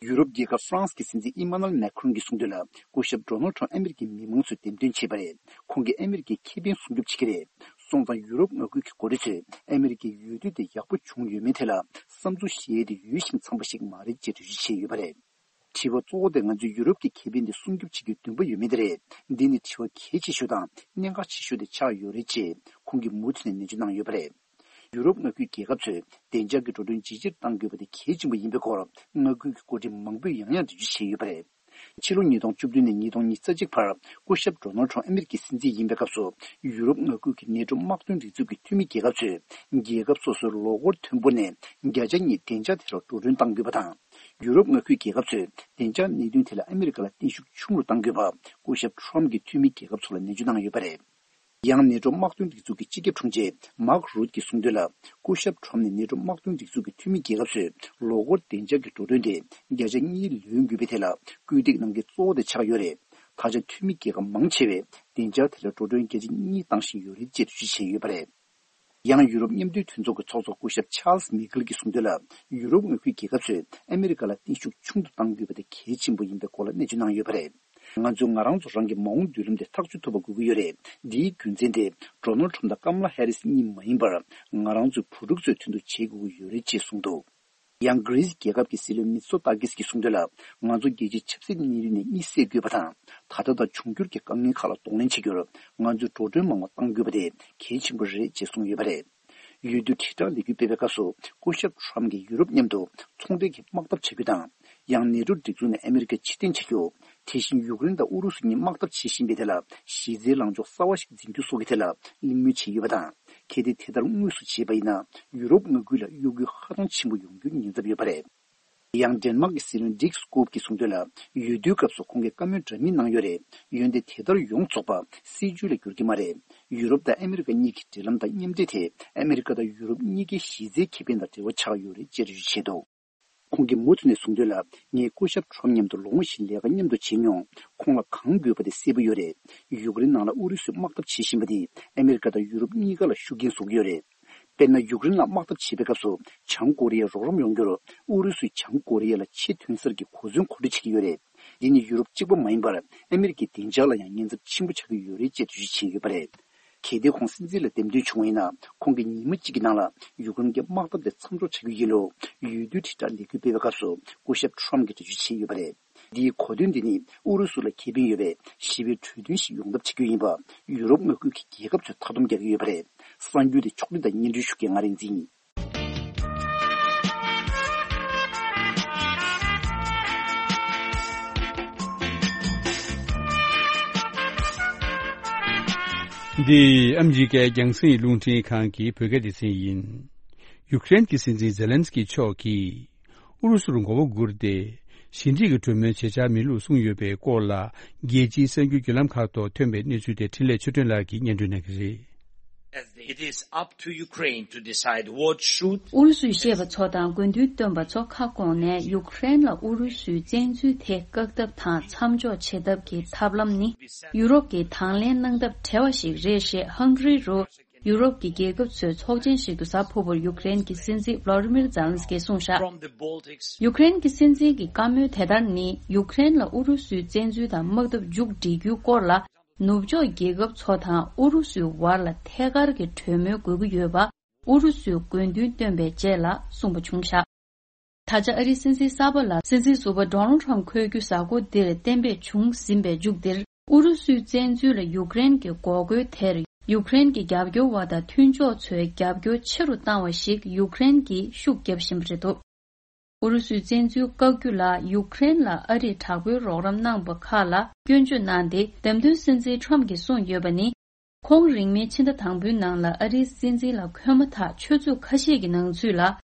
ཡུ་རོབ་རྒྱལ་ཁབ་ཧྥ་རན་སི་གི་སྲིད་འཛིན་ཨི་མ་ནུ་ཨེལ་མེ་ཁ་རོན་གྱིས་གསུངས་དོན་ལ། སྐུ་ཞབས་ཌོ་ནལ་ཁྲོམ་ཨ་མི་རི་ཀའི་མི་མང་ཚོས་འདེམས་ཐོན་བྱས་པ་རེད། ཁོང་གིས་ཨ་མི་རི་ཀའི་ཁེ་ཕན་སྲུང་སྐྱོབ་བྱེད་ཀྱི་རེད། སོང་ཙང་ཡུ་རོབ་མངའ་ཁུལ་གྱི་འགོ་ཁྲིད་ཚོས་ཨ་མི་རི་ཀའི་འོས་བསྡུ་དེ་ཡག་པོ་བྱུང་ཡོད་མེད་ཐད་ལ་བསམ་ཚུལ་བཤད་ཡས་དེ་ཡུལ་བཞིན་འཚམས་པ་ཞིག་མ་རེད་ཅེས་འགྲེལ་བརྗོད་བྱས་ཡོད་པ་རེད། དྲི་བ་གཙོ་བོ་དེ་ང་ཚོས་ཡུ་རོབ་ཀྱི་ཁེ་ཕན་དེ་སྲུང་སྐྱོབ་བྱེད་རྒྱུའི་འདུན་པ་ཡོད་མེད་དེ་རེད། འདི་ནི་དྲི་བ་གལ་ཆེ་ཤོས་དང་གནད་འགག་ཆེ་ཤོས་དེ་ཆགས་ཡོད་རེད་ཅེས་ཁོང་གིས་མུ་མཐུད་ནས་ནན་བརྗོད་གནང་ཡོད་པ་རེད། ཡུ་རོབ་མངའ་ཁུལ་རྒྱལ་ཁབ་ཚོས་བདེ་འཇགས་ཀྱི་འགྲོ་གྲོན་ཇེ་ཆེར་གཏང་དགོས་པ་དེ་གལ་ཆེན་པོ་ཡིན་པའི་སྐོར་མངའ་ཁུལ་གྱི་འགོ་ཁྲིད་མང་པོས་ཡང་ཡང་འགྲེལ་བརྗོད་བྱས་ཡོད་པ་རེད། ཕྱི་ལོ་ཉིས་སྟོང་བཅུ་བདུན་ནས་ཉིས་སྟོང་ཉི་ཤུ་རྩ་གཅིག་བར་སྐུ་ཞབས་ཌོ་ནལ་ཁྲོམ་ཨ་མི་རི་ཀའི་སྲིད་འཛིན་ཡིན་པའི་སྐབས་སུ། ཡུ་རོབ་མངའ་ཁུལ་གྱི་ནེ་ཊོ་དམག་དོན་སྒྲིག་འཛུགས་ཀྱི་འཐུས་མི་རྒྱལ་ཁབ་ཚོས་རྒྱལ་ཁབ་སོ་སོའི་ལོ་འཁོར་ཐོན་འབོར་ནས་བརྒྱ་ཆ་གཉིས་བདེ་འཇགས་ཐད་ལ་འགྲོ་གྲོན་གཏང་དགོས་པ་དང་། ཡུ་རོབ་མངའ་ཁུལ་རྒྱལ་ཁབ་ཚོས་བདེ་འཇགས་གནད་དོན་ཐད་ལ་ཨ་མི་རི་ཀ་ལ་བརྟན་བཞུགས་ཆུང་རུ་གཏང་དགོས་པ་སྐུ་ཞབས་ཁྲོམ་གྱིས་འཐུས་མི་རྒྱལ་ཁབ་ཚོ་ལ་ནན་བརྗོད་གནང་ཡོད་པ་རེད། ཡང་ནེ་ཊོ་དམག་དོན་སྒྲིག་འཛུགས་ཀྱི་སྤྱི་ཁྱབ་དྲུང་ཆེ་མཱག་རུད་ཀྱིས་གསུངས་དོན་ལ། སྐུ་ཞབས་ཁྲོམ་ནས་ནེ་ཊོ་དམག་དོན་སྒྲིག་འཛུགས་ཀྱི་འཐུས་མི་རྒྱལ་ཁབ་ཚོས་ལོ་འཁོར་བདེ་འཇགས་ཀྱི་འགྲོ་གྲོན་དེ་བརྒྱ་ཆ་གཉིས་ལོན་དགོས་པའི་ཐད་ལ་སྐུལ་འདེད་གནང་མཁན་གཙོ་བོ་དེ་ཆགས་ཡོད་རེད། ད་ཆ་འཐུས་མི་རྒྱལ་ཁབ་མང་ཆེ་བས་བདེ་འཇགས་ཐད་ལ་འགྲོ་གྲོན་བརྒྱ་ཆ་གཉིས་བཏང་བཞིན་ཡོད་རེད་ཅེས་འགྲེལ་བརྗོད་བྱས་ཡོད་པ་རེད། ཡང་ཡུ་རོབ་མཉམ་འབྲེལ་མཐུན་ཚོགས་ཀྱི་ཚོགས་གཙོ་སྐུ་ཞབས་ཆཱལ་སི་མི་ཁེལ་གྱིས་གསུངས་དོན་ལ། ཡུ་རོབ་མངའ་ཁུལ་རྒྱལ་ཁབ་ཚོས་ཨ་མི་རི་ཀ་ལ་བརྟན་བཞུགས་ཆུང་དུ་གཏང་དགོས་པ་དེ་གལ་ཆེན་པོ་ཡིན་པའི་སྐོར་ལ་གནས་ཚུལ་གནང་ཡོད་པ་རེད། ང་ཚོས་ང་རང་ཚོ་རང་གི་མ་འོངས་མདུན་ལམ་དེ་ཐག་གཅོད་ཐུབ་པ་དགོས་ཀྱི་ཡོད་རེད། འདིའི་རྒྱུ་མཚན་དེ་ཌོ་ནལ་ཁྲོམ་དང་ཀམ་ལ་ཧེ་རིས་གཉིས་མ་ཡིན་པར་ང་རང་ཚོའི་བུ་ཕྲུག་ཚོའི་དོན་དུ་བྱེད་དགོས་ཀྱི་ཡོད་རེད་ཅེས་གསུངས་འདུག་ཡང་གྷི་རི་སི་རྒྱལ་ཁབ་ཀྱི་སྲིད་བློན་མི་ཚོ་ཏཱ་ཀིས་ཀྱིས་གསུངས་དོན་ལ། ང་ཚོ་རྒྱལ་སྤྱིའི་ཆབ་སྲིད་གནས་ལུགས་ནས་གཉིད་སད་དགོས་པ་དང་། ད་ལྟ་དང་འབྱུང་འགྱུར་གྱི་དཀའ་ངལ་ཁག་ལ་གདོང་ལེན་བྱེད་རྒྱུར་ང་ཚོས་འགྲོ་གྲོན་མང་བ་གཏང་དགོས་པ་དེ་གལ་ཆེན་པོ་རེད་ཅེས་གསུངས་ཡོད་པ་རེད། འོས་བསྡུ་དྲིལ་བསྒྲགས་ལས་འགུལ་སྤེལ་བའི་སྐབས་སུ་སྐུ་ཞབས་ཁྲོམ་གྱིས་ཡུ་རོབ་མཉམ་དུ་ཚོང་འབྲེལ་གྱི་དམག་འཐབ་བྱ་རྒྱུ་དང་། ཡང་ནེ་ཊོ་སྒྲིག་འཛུགས་ནས་ཨ་མི་རི་ཀ་ཕྱིར་འཐེན་བྱ་རྒྱུ། དེ་བཞིན་ཡུཀ་རེན་དང་ཨུ་རུ་སུ་གཉིས་དམག་འཐབ་བྱེད་བཞིན་པའི་ཐད་ལ་གཞི་རྩའི་ལངས་ཕྱོགས་གསར་བ་ཞིག་འཛིན་རྒྱུ་སོགས་ཀྱི་ཐད་ལ་གླེང་མོལ་བྱས་ཡོད་པ་དང་། གལ་ཏེ་དེ་ལྟར་དངོས་སུ་བྱས་པ་ཡིན་ན། ཡུ་རོབ་མངའ་ཁུལ་ལ་གཡོ་འགུལ་ཧ་ཅང་ཆེན་པོ་ཡོང་རྒྱུའི་ཉེན་ཚབས་ཡོད་པ་རེད། ཡང་ཌེན་མཱག་གི་སྲིད་བློན་ཌིག་སྐོབ་ཀྱིས་གསུངས་དོན་ལ། འོས་བསྡུའི་སྐབས་སུ་ཁོང་གིས་བཀའ་མོལ་འདྲ་མིན་གནང་ཡོད་རེད། འོན་ཏེ་དེ་ལྟར་ཡོངས་རྫོགས་པ་སྲིད་ཇུས་ལ་འགྱུར་གྱི་མ་རེད། ཡུ་རོབ་དང་ཨ་མི་རི་ཀ་གཉིས་ཀྱི་འབྲེལ་ལམ་དང་མཉམ་འབྲེལ་དེ་ཨ་མི་རི་ཀ་དང་ཡུ་རོབ་གཉིས་ཀའི་གཞི་རྩའི་ཁེ་ཕན་དང་འབྲེལ་བ་ཆགས་ཡོད་རེད་ཅེས་འགྲེལ་བརྗོད་བྱས་འདུག་ཁོང་གིས་མུ་མཐུད་ནས་གསུངས་དོན་ལ། ངས་སྐུ་ཞབས་ཁྲོམ་མཉམ་དུ་ལོ་ངོ་བཞི་ལས་ཀ་མཉམ་དུ་བྱས་མྱོང་། ཁོང་ལ་གང་དགོས་པ་དེ་གསལ་པོ་ཡོད་རེད། ཡུཀ་རེན་ནང་ལ་ཨུ་རུ་སུས་དམག་འཐབ་བྱེད་བཞིན་པ་དེས་ཨ་མི་རི་ཀ་དང་ཡུ་རོབ་གཉིས་ཀ་ལ་ཤུགས་རྐྱེན་བཟོ་གི་ཡོད་རེད། དཔེར་ན། ཡུཀ་རེན་ལ་དམག་འཐབ་བྱེད་པའི་སྐབས་སུ་བྱང་ཀོ་རི་ཡས་རོགས་རམ་ཡོང་རྒྱུར་ཨུ་རུ་སུས་བྱང་ཀོ་རི་ཡ་ལ་ཆེས་ཐོན་གསར་གྱི་གོ་མཚོན་མཁོ་སྤྲོད་བྱེད་ཀྱི་ཡོད་རེད། འདི་ནི་ཡུ་རོབ་གཅིག་པ་མ་ཡིན་པར་ཨ་མི་རི་ཀའི་བདེ་འཇགས་ལ་ཡང་ཉེན་ཚབས་ཆེན་པོ་ཆགས་ཀྱི་ཡོད་རེད་ཅེས་འགྲེལ་བརྗོད་བྱས་ཡོད་པ་རེད། གལ་ཏེ་ཁོང་སྲིད་འཛིན་ལ་འདེམས་ཐོན་བྱུང་བ་ཡིན་ན། ཁོང་གིས་ཉི་མ་གཅིག་གི་ནང་ལ་ཡུཀ་རེན་གྱི་དམག་འཐབ་དེ་མཚམས་འཇོག་བྱ་རྒྱུ་ཡིན་ལུགས་འོས་བསྡུའི་དྲིལ་བསྒྲགས་ལས་འགུལ་སྤེལ་བའི་སྐབས་སུ་སྐུ་ཞབས་ཁྲོམ་གྱིས་འགྲེལ་བརྗོད་བྱས་ཡོད་པ་རེད། འདིའི་གོ་དོན་འདི་ནི་ཨུ་རུ་སུ་ལ་ཁེ་ཕན་ཡོད་པའི་ཞི་བའི་གྲོས་མཐུན་ཞིག་ཡོང་ཐབས་བྱེད་རྒྱུ་ཡིན་པ་ཡུ་རོབ་མངའ་ཁུལ་གྱི་རྒྱལ་ཁབ་ཚོས་མཐའ་སྡོམ་རྒྱག་གི་ཡོད་པ་རེད། གསར་འགྱུར་དེ་ཕྱོགས་སྒྲིག་དང་སྙན་སྒྲོན་ཞུ་མཁན་ང་རིག་འཛིན་ཡིན། འདི་ཨ་མི་རི་ཀའི་རྒྱང་སྲིང་རླུང་འཕྲིན་ཁང་གི་བོད་སྐད་སྡེ་ཚན་ཡིན། ཡུཀ་རེན་གྱི་སྲིད་འཛིན་ཛེ་ལན་སི་ཀི་མཆོག་གིས། ཨུ་རུ་སུར་མགོ་བོ་སྒུར་ཏེ། ཞི་འགྲིག་གི་གྲོས་མོལ་བྱེད་འཆར་མེད་ལུགས་གསུངས་ཡོད་པའི་སྐོར་ལ། རྒྱལ་སྤྱིའི་གསར་འགྱུར་བརྒྱུད་ལམ་ཁག་ཐོག་ཐོན་པའི་གནས་ཚུལ་དེ་འཕྲིན་ལས་ཆོས་སྒྲོན་ལགས་ཀྱིས་སྙན་སྒྲོན་གནང་གི་རེད། It is up to Ukraine to decide what should ཨུ་རུ་སུས་བཤད་པ་ཚོ་དང་དགོས་འདུན་བཏོན་པ་ཚོ་ཁ་སྐོང་ནས། ཡུཀ་རེན་ལ་ཨུ་རུ་སུའི་བཙན་འཛུལ་དེ་བཀག་ཐབས་དང་མཚམས་འཇོག་བྱེད་ཐབས་ཀྱི་ཐབས་ལམ་ནི། ཡུ་རོབ་ཀྱིས་དང་ལེན་གནང་ཐབས་བྲལ་བ་ཞིག་རེད་ཞེས་ཧང་གྷི་རི་རུ། ཡུ་རོབ་ཀྱི་རྒྱལ་ཁབ་ཚོའི་ཚོགས་ཆེན་ཞིག་ཏུ་གཟའ་ཕུར་བུར་ཡུཀ་རེན་གྱི་སྲིད་འཛིན་ཝ་ལོ་ཌི་མིར་ཛེ་ལན་སི་ཀིས་གསུངས་བཞག། ཡུཀ་རེན་གྱི་སྲིད་འཛིན་གྱི་བཀའ་མོལ་དེ་ལྟར་ནི། ཡུཀ་རེན་ལ་ཨུ་རུ་སུའི་བཙན་འཛུལ་དང་དམག་འཐབ་མཇུག་སྒྲིལ་རྒྱུའི་སྐོར་ལ། ནུབ་ཕྱོགས་རྒྱལ་ཁབ་ཚོ་དང་ཨུ་རུ་སུའི་བར་ལ་ཐད་ཀར་གྱི་གྲོས་མོལ་དགོས་ཀྱི་ཡོད་པ། ཨུ་རུ་སུའི་དགོས་འདུན་བཏོན་པའི་རྗེས་ལ་གསུངས་པ་བྱུང་བཞག། ད་ཆ་ཨ་རིའི་སྲིད་འཛིན་གསར་པ་ལ་སྲིད་འཛིན་ཟུར་པ་ཌོ་ནལ་ཌི་ཊརམ་འཁོད་རྒྱུ་གཟའ་འཁོར་འདིར་གཏན་འབེབས་བྱུང་ཟིན་པའི་མཇུག་འདིར། ཨུ་རུ་སུའི་བཙན་འཛུལ་ལ་ཡུཀ་རེན་གྱི་འགོག་རྒོལ་དེར་ཡུཀ་རེན་གྱི་རྒྱབ་སྐྱོར་བ་དང་མཐུན་ཕྱོགས་ཚོས་རྒྱབ་སྐྱོར་ཆེ་རུ་བཏང་བ་ཞིག་ཡུཀ་རེན་གྱིས་ཤུགས་བརྒྱབ་བཞིན་པ་རེད་འདུག། ཨུ་རུ་སུའི་བཙན་འཛུལ་བཀག་རྒྱུ་ལ་ཡུཀ་རེན་ལ་ཨ་རིས་དྲག་པོའི་རོགས་རམ་གནང་པ་ཁག་ལ་སྐྱོན་བརྗོད་གནང་སྟེ། འདེམས་ཐོན་སྲིད་འཛིན་ཊརམ་གྱིས་གསུངས་ཡོད་པ་ནི། ཁོང་རིང་མིན་ཕྱི་ཟླ་དང་པོའི་ནང་ལ་ཨ་རིའི་སྲིད་འཛིན་ལ་འཁོད་མ་ཐག་ཆུ་ཚོད་ཁ་ཤས་ཀྱི་ནང་ཚུད་ལ།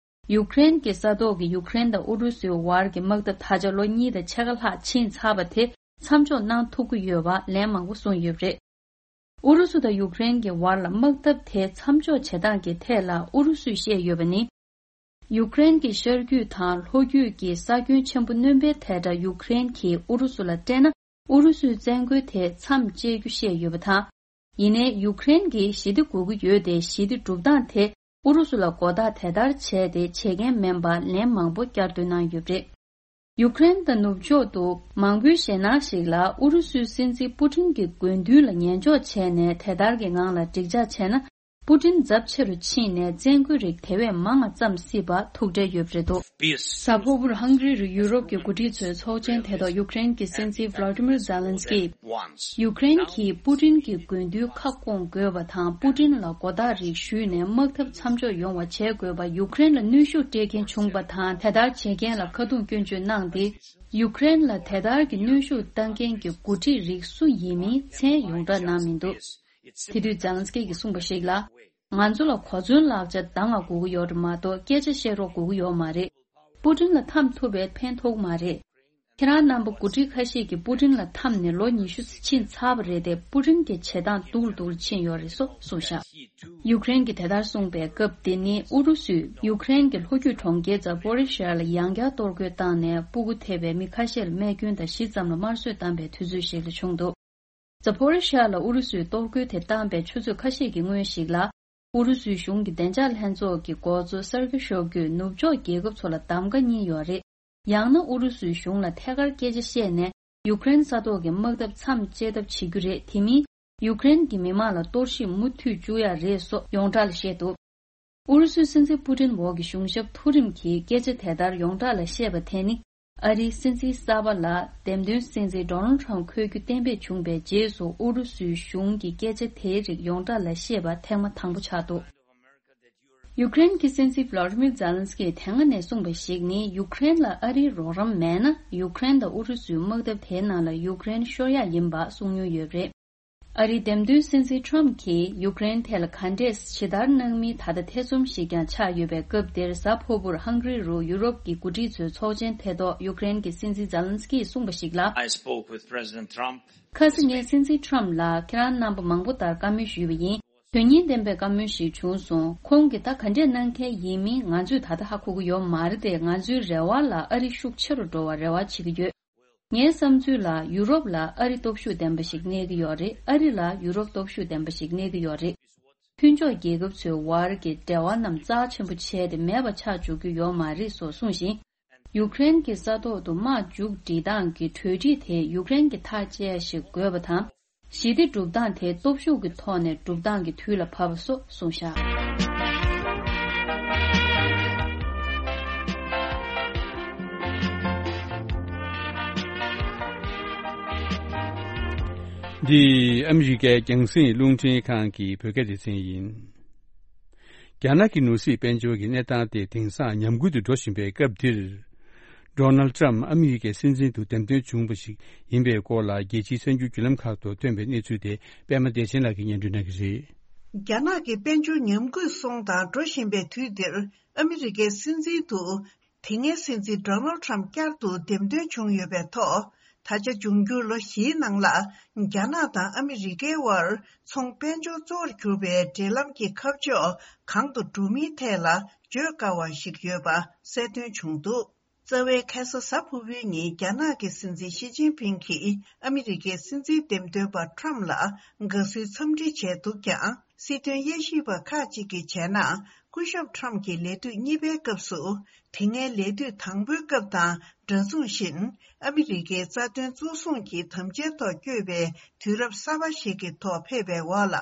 ཡུཀ་རེན་གྱི་ས་ཐོག་གི་ཡུཀ་རེན་དང་ཨུ་རུ་སུའི་བར་གྱི་དམག་འཐབ་ད་ཆ་ལོ་གཉིས་དང་ཕྱེད་ཀ་ལྷག་ཕྱིན་ཚར་བ་དེ་མཚམས་འཇོག་གནང་ཐུབ་ཀྱི་ཡོད་པ་ལན་མང་པོ་གསུངས་ཡོད་པ་རེད། ཨུ་རུ་སུ་དང་ཡུཀ་རེན་གྱི་བར་ལ་དམག་འཐབ་དེ་མཚམས་འཇོག་བྱེད་སྟངས་ཀྱི་ཐད་ལ་ཨུ་རུ་སུས་བཤད་ཡོད་པ་ནི། ཡུཀ་རེན་གྱི་ཤར་རྒྱུད་དང་ལྷོ་རྒྱུད་ཀྱི་ས་ཁྱོན་ཆེན་པོ་སྣོན་པའི་ཐད་ཀར་ཡུཀ་རེན་གྱིས་ཨུ་རུ་སུ་ལ་སྤྲད་ན། ཨུ་རུ་སུའི་བཙན་རྒོལ་དེ་མཚམས་བཅད་རྒྱུ་བཤད་ཡོད་པ་དང་། ཡིན་ནའི་ཡུཀ་རེན་གྱིས་ཞི་བདེ་དགོས་ཀྱི་ཡོད་དེ། ཞི་བདེ་སྒྲུབ་སྟངས་དེ་ཨུ་རུ་སུ་ལ་མགོ་བཏགས་དེ་ལྟར་བྱས་ཏེ་བྱེད་མཁན་མིན་པ་ལན་མང་པོ་བསྐྱར་ཟློས་གནང་ཡོད་པ་རེད། ཡུཀ་རེན་དང་ནུབ་ཕྱོགས་དུ་མང་པོའི་ཞེད་སྣང་ཞིག་ལ། ཨུ་རུ་སུའི་སྲིད་འཛིན་པུ་ཏིན་གྱི་དགོས་འདུན་ལ་ཉན་འཇོག་བྱས་ནས་དེ་ལྟར་གྱི་ངང་ལ་འགྲིག་འཇགས་བྱས་ན། པུ་ཏིན་ཚབས་ཆེ་རུ་ཕྱིན་ནས་བཙན་རྒོལ་རིགས་དེ་བས་མང་བ་བརྩམས་སྲིད་པ་ཐུགས་འདྲེན་ཡོད་པ་རེད་འདུག། གཟའ་ཕུར་བུར་ཧང་གྷི་རི་རུ་ཡུ་རོབ་ཀྱི་འགོ་ཁྲིད་ཚོའི་ཚོགས་ཆེན་དེ་ཐོག་ཡུཀ་རེན་གྱི་སྲིད་འཛིན་ཝ་ལོ་ཌི་མིར་ཛེ་ལན་སི་ཀི། ཡུཀ་རེན་གྱིས་པུ་ཏིན་གྱི་དགོས་འདུན་ཁ་སྐོང་དགོས་པ་དང་། པུ་ཏིན་ལ་མགོ་བཏགས་རིགས་ཞུས་ནས་དམག་འཐབ་མཚམས་འཇོག་ཡོང་བ་བྱེད་དགོས་པ། ཡུཀ་རེན་ལ་གནོན་ཤུགས་སྤྲད་མཁན་བྱུང་པ་དང་། དེ་ལྟར་བྱེད་མཁན་ལ་ཁ་རྡུང་སྐྱོན་བརྗོད་གནང་སྟེ། ཡུཀ་རེན་ལ་དེ་ལྟར་གྱི་གནོན་ཤུགས་བཏང་མཁན་གྱི་འགོ་ཁྲིད་རིགས་སུ་ཡིན་མིན་མཚན་ཡོངས་གྲགས་གནང་མི་འདུག། དེ་དུས་ཛེ་ལན་སི་ཀི་གིས་གསུངས་པ་ཞིག་ལ། ང་ཚོ་ལ་གོ་མཚོན་ལག་ཆ་ད་ང་དགོས་ཀྱི་ཡོད་རེད་མ་གཏོགས་སྐད་ཆ་བཤད་རོགས་དགོས་ཀྱི་ཡོད་མ་རེད། པུ་ཏིན་ལ་འཐམ་ཐུབ་པས་ཕན་ཐོགས་མ་རེད། ཁྱེད་རང་རྣམ་པ་འགོ་ཁྲིད་ཁ་ཤས་ཀྱིས་པུ་ཏིན་ལ་འཐམས་ནས་ལོ་ཉི་ཤུ་ཕྱིན་ཚར་བ་རེད་དེ། པུ་ཏིན་གྱི་བྱེད་སྟངས་སྡུག་རུ་སྡུག་རུ་ཕྱིན་ཡོད་རེད་སོ་གསུངས་བཞག། ཡུཀ་རེན་གྱིས་དེ་ལྟར་གསུངས་པའི་སྐབས་དེ་ནི་ཨུ་རུ་སུས་ཡུཀ་རེན་གྱི་ལྷོ་རྒྱུད་གྲོང་ཁྱེར་ཛ་པོ་རི་ཤ་ལ་ཡང་བསྐྱར་གཏོར་རྒོལ་བཏང་ནས་སྤུ་གུ་ཐེ་བའི་མི་ཁ་ཤས་ལ་རྨས་སྐྱོན་དང་བཞི་ཙམ་ལ་དམར་གསོད་བཏང་པའི་དུས་ཚོད་ཞིག་ལ་བྱུང་འདུག། ཛ་པོ་རི་ཤ་ལ་ཨུ་རུ་སུས་གཏོར་རྒོལ་དེ་བཏང་པའི་ཆུ་ཚོད་ཁ་ཤས་ཀྱི་སྔོན་ཞིག་ལ། ཨུ་རུ་སུའི་གཞུང་གི་བདེ་འཇགས་ལྷན་ཚོགས་ཀྱི་འགོ་གཙོ་སར་གི་ཤོ་གུས་ནུབ་ཕྱོགས་རྒྱལ་ཁབ་ཚོ་ལ་གདམ་ག་གཉིས་ཡོད་རེད། ཡང་ན་ཨུ་རུ་སུའི་གཞུང་ལ་ཐད་ཀར་སྐད་ཆ་བཤད་ནས་ཡུཀ་རེན་ས་ཐོག་གི་དམག་འཐབ་མཚམས་བཅད་ཐབས་བྱེད་རྒྱུ་རེད། དེ་མིན་ཡུཀ་རེན་གྱི་མི་མང་ལ་གཏོར་བཤིག་མུ་མཐུད་བཅུག་ཡ་རེད་སོགས་ཡོངས་གྲགས་ལ་བཤད་འདུག། ཨུ་རུ་སུའི་སྲིད་འཛིན་པུ་ཏིན་འོག་གི་གཞུང་ཞབས་མཐོ་རིམ་གྱིས་སྐད་ཆ་དེ་ལྟར་ཡོངས་གྲགས་ལ་བཤད་པ་དེ་ནི། ཨ་རིའི་སྲིད་འཛིན་གསར་པ་ལ་འདེམས་ཐོན་སྲིད་འཛིན་ཌོ་ནལ་ཌི་ཊརམ་འཁོད་རྒྱུ་གཏན་འབེབས་བྱུང་པའི་རྗེས་སུ། ཨུ་རུ་སུའི་གཞུང་གིས་སྐད་ཆ་དེའི་རིགས་ཡོངས་གྲགས་ལ་བཤད་པ་ཐེངས་མ་དང་པོ་ཆགས་འདུག། ཡུཀ་རེན་གྱི་སྲིད་འཛིན་ཝ་ལོ་ཌི་མིར་ཛེ་ལན་སི་ཀིས་དེ་སྔ་ནས་གསུངས་པ་ཞིག་ནི། ཡུཀ་རེན་ལ་ཨ་རིའི་རོགས་རམ་མེད་ན། ཡུཀ་རེན་དང་ཨུ་རུ་སུའི་དམག་འཐབ་དེའི་ནང་ལ་ཡུཀ་རེན་ཤོར་ཡག་ཡིན་པ་གསུངས་མྱོང་ཡོད་པ་རེད། ཨ་རིའི་འདེམས་ཐོན་སྲིད་འཛིན་ཊརམ་གྱིས་ཡུཀ་རེན་ཐད་ལ་ག་འདྲས་ཇི་ལྟར་གནང་མིན་ད་ལྟ་ཐེ་ཚོམ་ཞིག་ཀྱང་ཆགས་ཡོད་པའི་སྐབས་འདིར། གཟའ་ཕུར་བུར་ཧང་གྷི་རི་རུ་ཡུ་རོབ་ཀྱི་འགོ་ཁྲིད་ཚོའི་ཚོགས་ཆེན་དེ་ཐོག་ཡུཀ་རེན་གྱི་སྲིད་འཛིན་ཛེ་ལན་སི་ཀིས་གསུངས་པ་ཞིག་ལ། I spoke with President Trump. ཁ་སང་ངས་སྲིད་འཛིན་ཊརམ་ལ་ཁྱེད་རང་རྣམ་པ་མང་པོ་ལྟར་བཀའ་མོལ་ཞུས་པ་ཡིན། དོན་སྙིང་ལྡན་པའི་བཀའ་མོལ་ཞིག་བྱུང་སོང་། ཁོང་གིས་ད་ག་འདྲས་གནང་མཁན་ཡིན་མིན་ང་ཚོས་ད་ལྟ་ཧ་གོ་གི་ཡོད་མ་རེད་དེ། ང་ཚོའི་རེ་བ་ལ་ཨ་རི་ཤུགས་ཆེ་རུ་འགྲོ་བར་རེ་བ་བྱེད་ཀྱི་ཡོད། ངའི་བསམ་ཚུལ་ལ་ཡུ་རོབ་ལ་ཨ་རི་སྟོབས་ཤུགས་ལྡན་པ་ཞིག་གནས་ཀྱི་ཡོད་རེད། ཨ་རི་ལ་ཡུ་རོབ་སྟོབས་ཤུགས་ལྡན་པ་ཞིག་གནས་ཀྱི་ཡོད་རེད། མཐུན་ཕྱོགས་རྒྱལ་ཁབ་ཚོའི་དབར་གྱི་འབྲེལ་བ་རྣམས་རྩ་ཆེན་པོ་བྱས་ཏེ་མེད་པ་ཆགས་འཇུག་རྒྱུ་ཡོད་མ་རེད་སོགས་གསུངས་ཤིང་། ཡུཀ་རེན་གྱི་ས་ཐོག་ཏུ་དམག་མཇུག་སྒྲིལ་སྟངས་ཀྱི་གྲོས་འགྲིག་དེ་ཡུཀ་རེན་གྱིས་ཐག་བཅད་ཡ་ཞིག་དགོས་པ་དང་། ཞི་བདེ་སྒྲུབ་སྟངས་དེ་སྟོབས་ཤུགས་ཀྱི་ཐོག་ནས་སྒྲུབ་སྟངས་ཀྱི་དུས་ལ་བབས་པ་སོགས་གསུངས་བཞག། འདི་ཨ་མི་རི་ཀའི་རྒྱང་སྲིང་རླུང་འཕྲིན་ཁང་གི་བོད་སྐད་སྡེ་ཚན་ཡིན། རྒྱ་ནག་གི་ནོར་སྲིད་དཔལ་འབྱོར་གྱི་གནས་སྟངས་དེ་དེང་སང་ཉམས་རྒུད་དུ་འགྲོ་བཞིན་པའི་སྐབས་འདིར། ཌོ་ནལ་ཊམ་ཨ་མི་རི་ཀའི་སྲིད་འཛིན་དུ་འདེམས་ཐོན་བྱུང་བ་ཞིག་ཡིན་པའི་སྐོར་ལ། རྒྱལ་སྤྱིའི་གསར་འགྱུར་བརྒྱུད་ལམ་ཁག་ཏུ་ཐོན་པའི་གནས་ཚུལ་དེ་པད་མ་བདེ་ཆེན་ལགས་ཀྱིས་སྙན་སྒྲོན་གནང་གི་རེད། རྒྱ་ནག་གི་དཔལ་འབྱོར་ཉམས་རྒུད་སོང་དང་འགྲོ་བཞིན་པའི་དུས་འདིར། ཨ་མི་རི་ཀའི་སྲིད་འཛིན་དུ་དེ་སྔའི་སྲིད་འཛིན་ཌོ་ནལ་ཊམ་བསྐྱར་དུ་འདེམས་ཐོན་བྱུང་ཡོད་པའི་ཐོག་ད་ཆ་འབྱུང་འགྱུར་ལོ་བཞིའི་ནང་ལ་རྒྱ་ནག་དང་ཨ་མི་རི་ཀའི་དབར་ཚོང་དཔལ་འབྱོར་གཙོ་བོར་གྱུར་པའི་འབྲེལ་ལམ་གྱི་ཁ་ཕྱོགས་གང་དུ་འགྲོ་མིན་ཐད་ལ་བརྗོད་དཀའ་བ་ཞིག་ཡོད་པ་གསལ་སྟོན་བྱུང་འདུག། རྩ་བའི་ཁ་སང་གཟའ་ཕུར་བུའི་ཉིན་རྒྱ་ནག་གི་སྲིད་འཛིན་ཞི་ཅིན་ཕིང་གིས་ཨ་མི་རི་ཀའི་སྲིད་འཛིན་འདེམས་ཐོན་པ་ཊམ་ལ་དགའ་བསུའི་འཚམས་འདྲི་བྱས་འདུག་ཀྱང་། སྲིད་དོན་དབྱེ་ཞིབ་པ་ཁག་ཅིག་གིས་བྱས་ན། སྐུ་ཞབས་ཁྲོམ་གྱི་ལས་དུས་གཉིས་པའི་སྐབས་སུ། དེ་སྔའི་ལས་དུས་དང་པོའི་སྐབས་དང་འདྲ་མཚུངས་བཞིན། ཨ་མི་རི་ཀའི་རྩ་དོན་གཙོ་བཟུང་གི་དམ་བཅའི་ཐོག་བསྐྱོད་པའི་དུས་རབས་གསར་པ་ཞིག་གི་ཐོག་ཕེབས་པའི་འོག་ལ།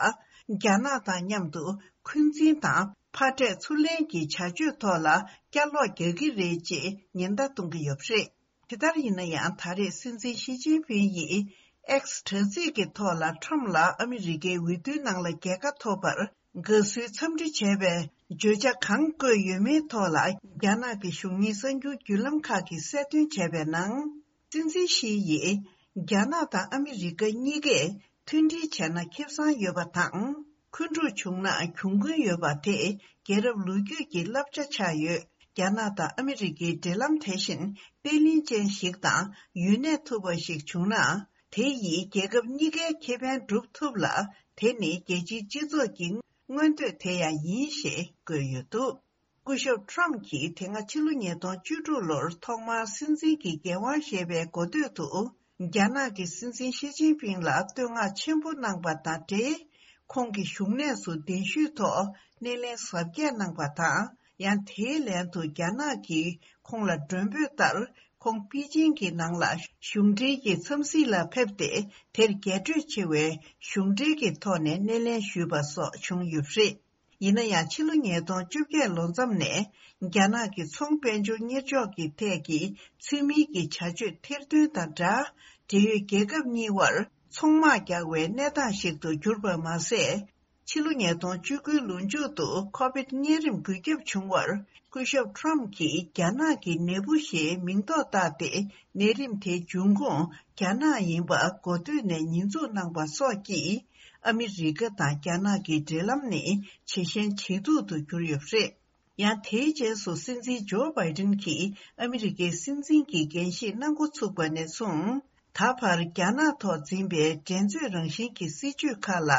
རྒྱ་ནག་དང་མཉམ་དུ་འཁོན་འཛིན་དང་ཕར་འགྲན་ཚུར་ལེན་གྱི་བྱ་སྤྱོད་ཐོག་ལ་བསྐྱར་ལོག་རྒྱག་གི་རེད་ཅེས་ཉེན་བརྡ་གཏོང་གི་ཡོད་པ་རེད། དེ་ལྟར་ཡིན་ན་ཡང་། ད་རེས་སྲིད་འཛིན་ཞི་ཅིན་ཕིང་ཡིས་X་དྲ་ཚིགས་ཀྱི་ཐོག་ལ་ཁྲོམ་ལ་ཨ་མི་རི་ཀའི་འོས་བསྡུའི་ནང་ལ་རྒྱལ་ཁ་ཐོབ་པར་དགའ་བསུའི་འཚམས་འདྲི་བྱས་པའི་བརྗོད་བྱ་གང་བཀོད་ཡོད་མེད་ཐོག་ལ། རྒྱ་ནག་གི་གཞུང་གཉེར་གསར་འགྱུར་བརྒྱུད་ལམ་ཁག་གིས་གསལ་སྟོན་བྱས་པའི་ནང་། སྲིད་འཛིན་ཞི་ཡིས། རྒྱ་ནག་དང་ཨ་མི་རི་ཀ་གཉིས་ཀས་མཐུན་སྒྲིལ་བྱས་ན་ཁེ་བཟང་ཡོད་པ་དང་། འཁོན་འཁྲུག་བྱུང་ན་གྱོང་གུན་ཡོད་པ་དེ་རྒྱལ་རབས་ལོ་རྒྱུས་ཀྱི་བསླབ་བྱ་ཆགས་ཡོད། རྒྱ་ནག་དང་ཨ་མི་རི་ཀའི་འབྲེལ་ལམ་དེ་བཞིན་བརྟན་ལྷིང་ཅན་ཞིག་དང་ཡུན་གནས་ཐུབ་པ་ཞིག་བྱུང་ན། དེ་ཡིས་རྒྱལ་ཁབ་གཉིས་ཀའི་ཁེ་ཕན་སྒྲུབ་ཐུབ་ལ། དེ་ནི་རྒྱལ་སྤྱིའི་སྤྱི་ཚོགས་ཀྱི་མངོན་འདོད་དེ་ཡང་ཡིན་ཞེས་བཀོད་ཡོད་འདུག་སྐུ་ཞབས་ཁྲོམ་གྱིས་དེ་སྔ་ཕྱི་ལོ་ཉིས་སྟོང་བཅུ་དྲུག་ལོར་ཐོག་མར་སྲིད་འཛིན་གྱི་འགན་དབང་བཞེས་པའི་འགོ་སྟོད་དུ། རྒྱ་ནག་གི་སྲིད་འཛིན་ཞི་ཅིན་ཕིང་ལ་བསྟོད་བསྔགས་ཆེན་པོ་གནང་པ་དང་འབྲེལ། ཁོང་གི་བཞུགས་གནས་སུ་གདན་ཞུའི་ཐོག་སྣེ་ལེན་གཟབ་རྒྱས་གནང་པ་དང་། ཡང་དེའི་ལན་དུ་རྒྱ་ནག་གིས་ཁོང་ལ་མགྲོན་འབོད་ལྟར། ཁོང་པེ་ཅིང་གི་ནང་ལ་གཞུང་འབྲེལ་གྱི་འཚམས་གཟིགས་ལ་ཕེབས་ཏེ། དེར་རྒྱས་སྤྲོས་ཆེ་བའི་གཞུང་འབྲེལ་གྱི་ཐོག་ནས་སྣེ་ལེན་ཞུས་པ་སོགས་བྱུང་ཡོད་པ་རེད། ཡིན་ན་ཡང་། ཕྱི་ལོ་ཉིས་སྟོང་བཅོ་བརྒྱད་ལོ་མཚམས་ནས་རྒྱ་ནག་གི་ཚོང་དཔལ་འབྱོར་གཉེར་ཕྱོགས་ཀྱི་ཐད་ཀྱི་ཚུལ་མིན་གྱི་བྱ་སྤྱོད་ཐེར་འདོན་དང་སྦྲགས། འབྲེལ་ཡོད་རྒྱལ་ཁབ་གཉིས་དབར་ཚོང་དམག་རྒྱག་པའི་གནས་སྟངས་ཤིག་ཏུ་གྱུར་པ་མ་ཟད། ཕྱི་ལོ་ཉིས་སྟོང་བཅུ་དགུའི་ལོ་མཇུག་ཏུ་ཁོ་བིད་གཉན་རིམས་འགོས་ཁྱབ་བྱུང་བར། སྐུ་ཞབས་ཁྲོམ་གྱིས་རྒྱ་ནག་གི་ནད་འབུ་ཞེས་མིང་འདོགས་བཏགས་ཏེ། ནད་རིམས་དེའི་འབྱུང་ཁུངས་རྒྱ་ནག་ཡིན་པ་འགོ་སྟོད་ནས་ཉེས་འཛུགས་གནང་པ་སོགས་ཀྱིས། ཨ་མི་རི་ཀ་དང་རྒྱ་ནག་གི་འབྲེལ་ལམ་ནི་ཇེ་ཞན་ཇེ་སྡུག་ཏུ་གྱུར་ཡོད་པ་རེད། ཡང་། དེའི་རྗེས་སུ་སྲིད་འཛིན་ཇོ་བྷའི་ཏིན་གྱིས་ཨ་མི་རི་ཀའི་སྲིད་འཛིན་གྱི་འགན་བཞེས་གནང་འགོ་ཚུགས་པ་ནས་བཟུང་། ད་བར་རྒྱ་ནག་ཐོག་འཛིན་པའི་འགྲན་རྩོད་རང་བཞིན་གྱི་སྲིད་བྱུས་ཁག་ལ་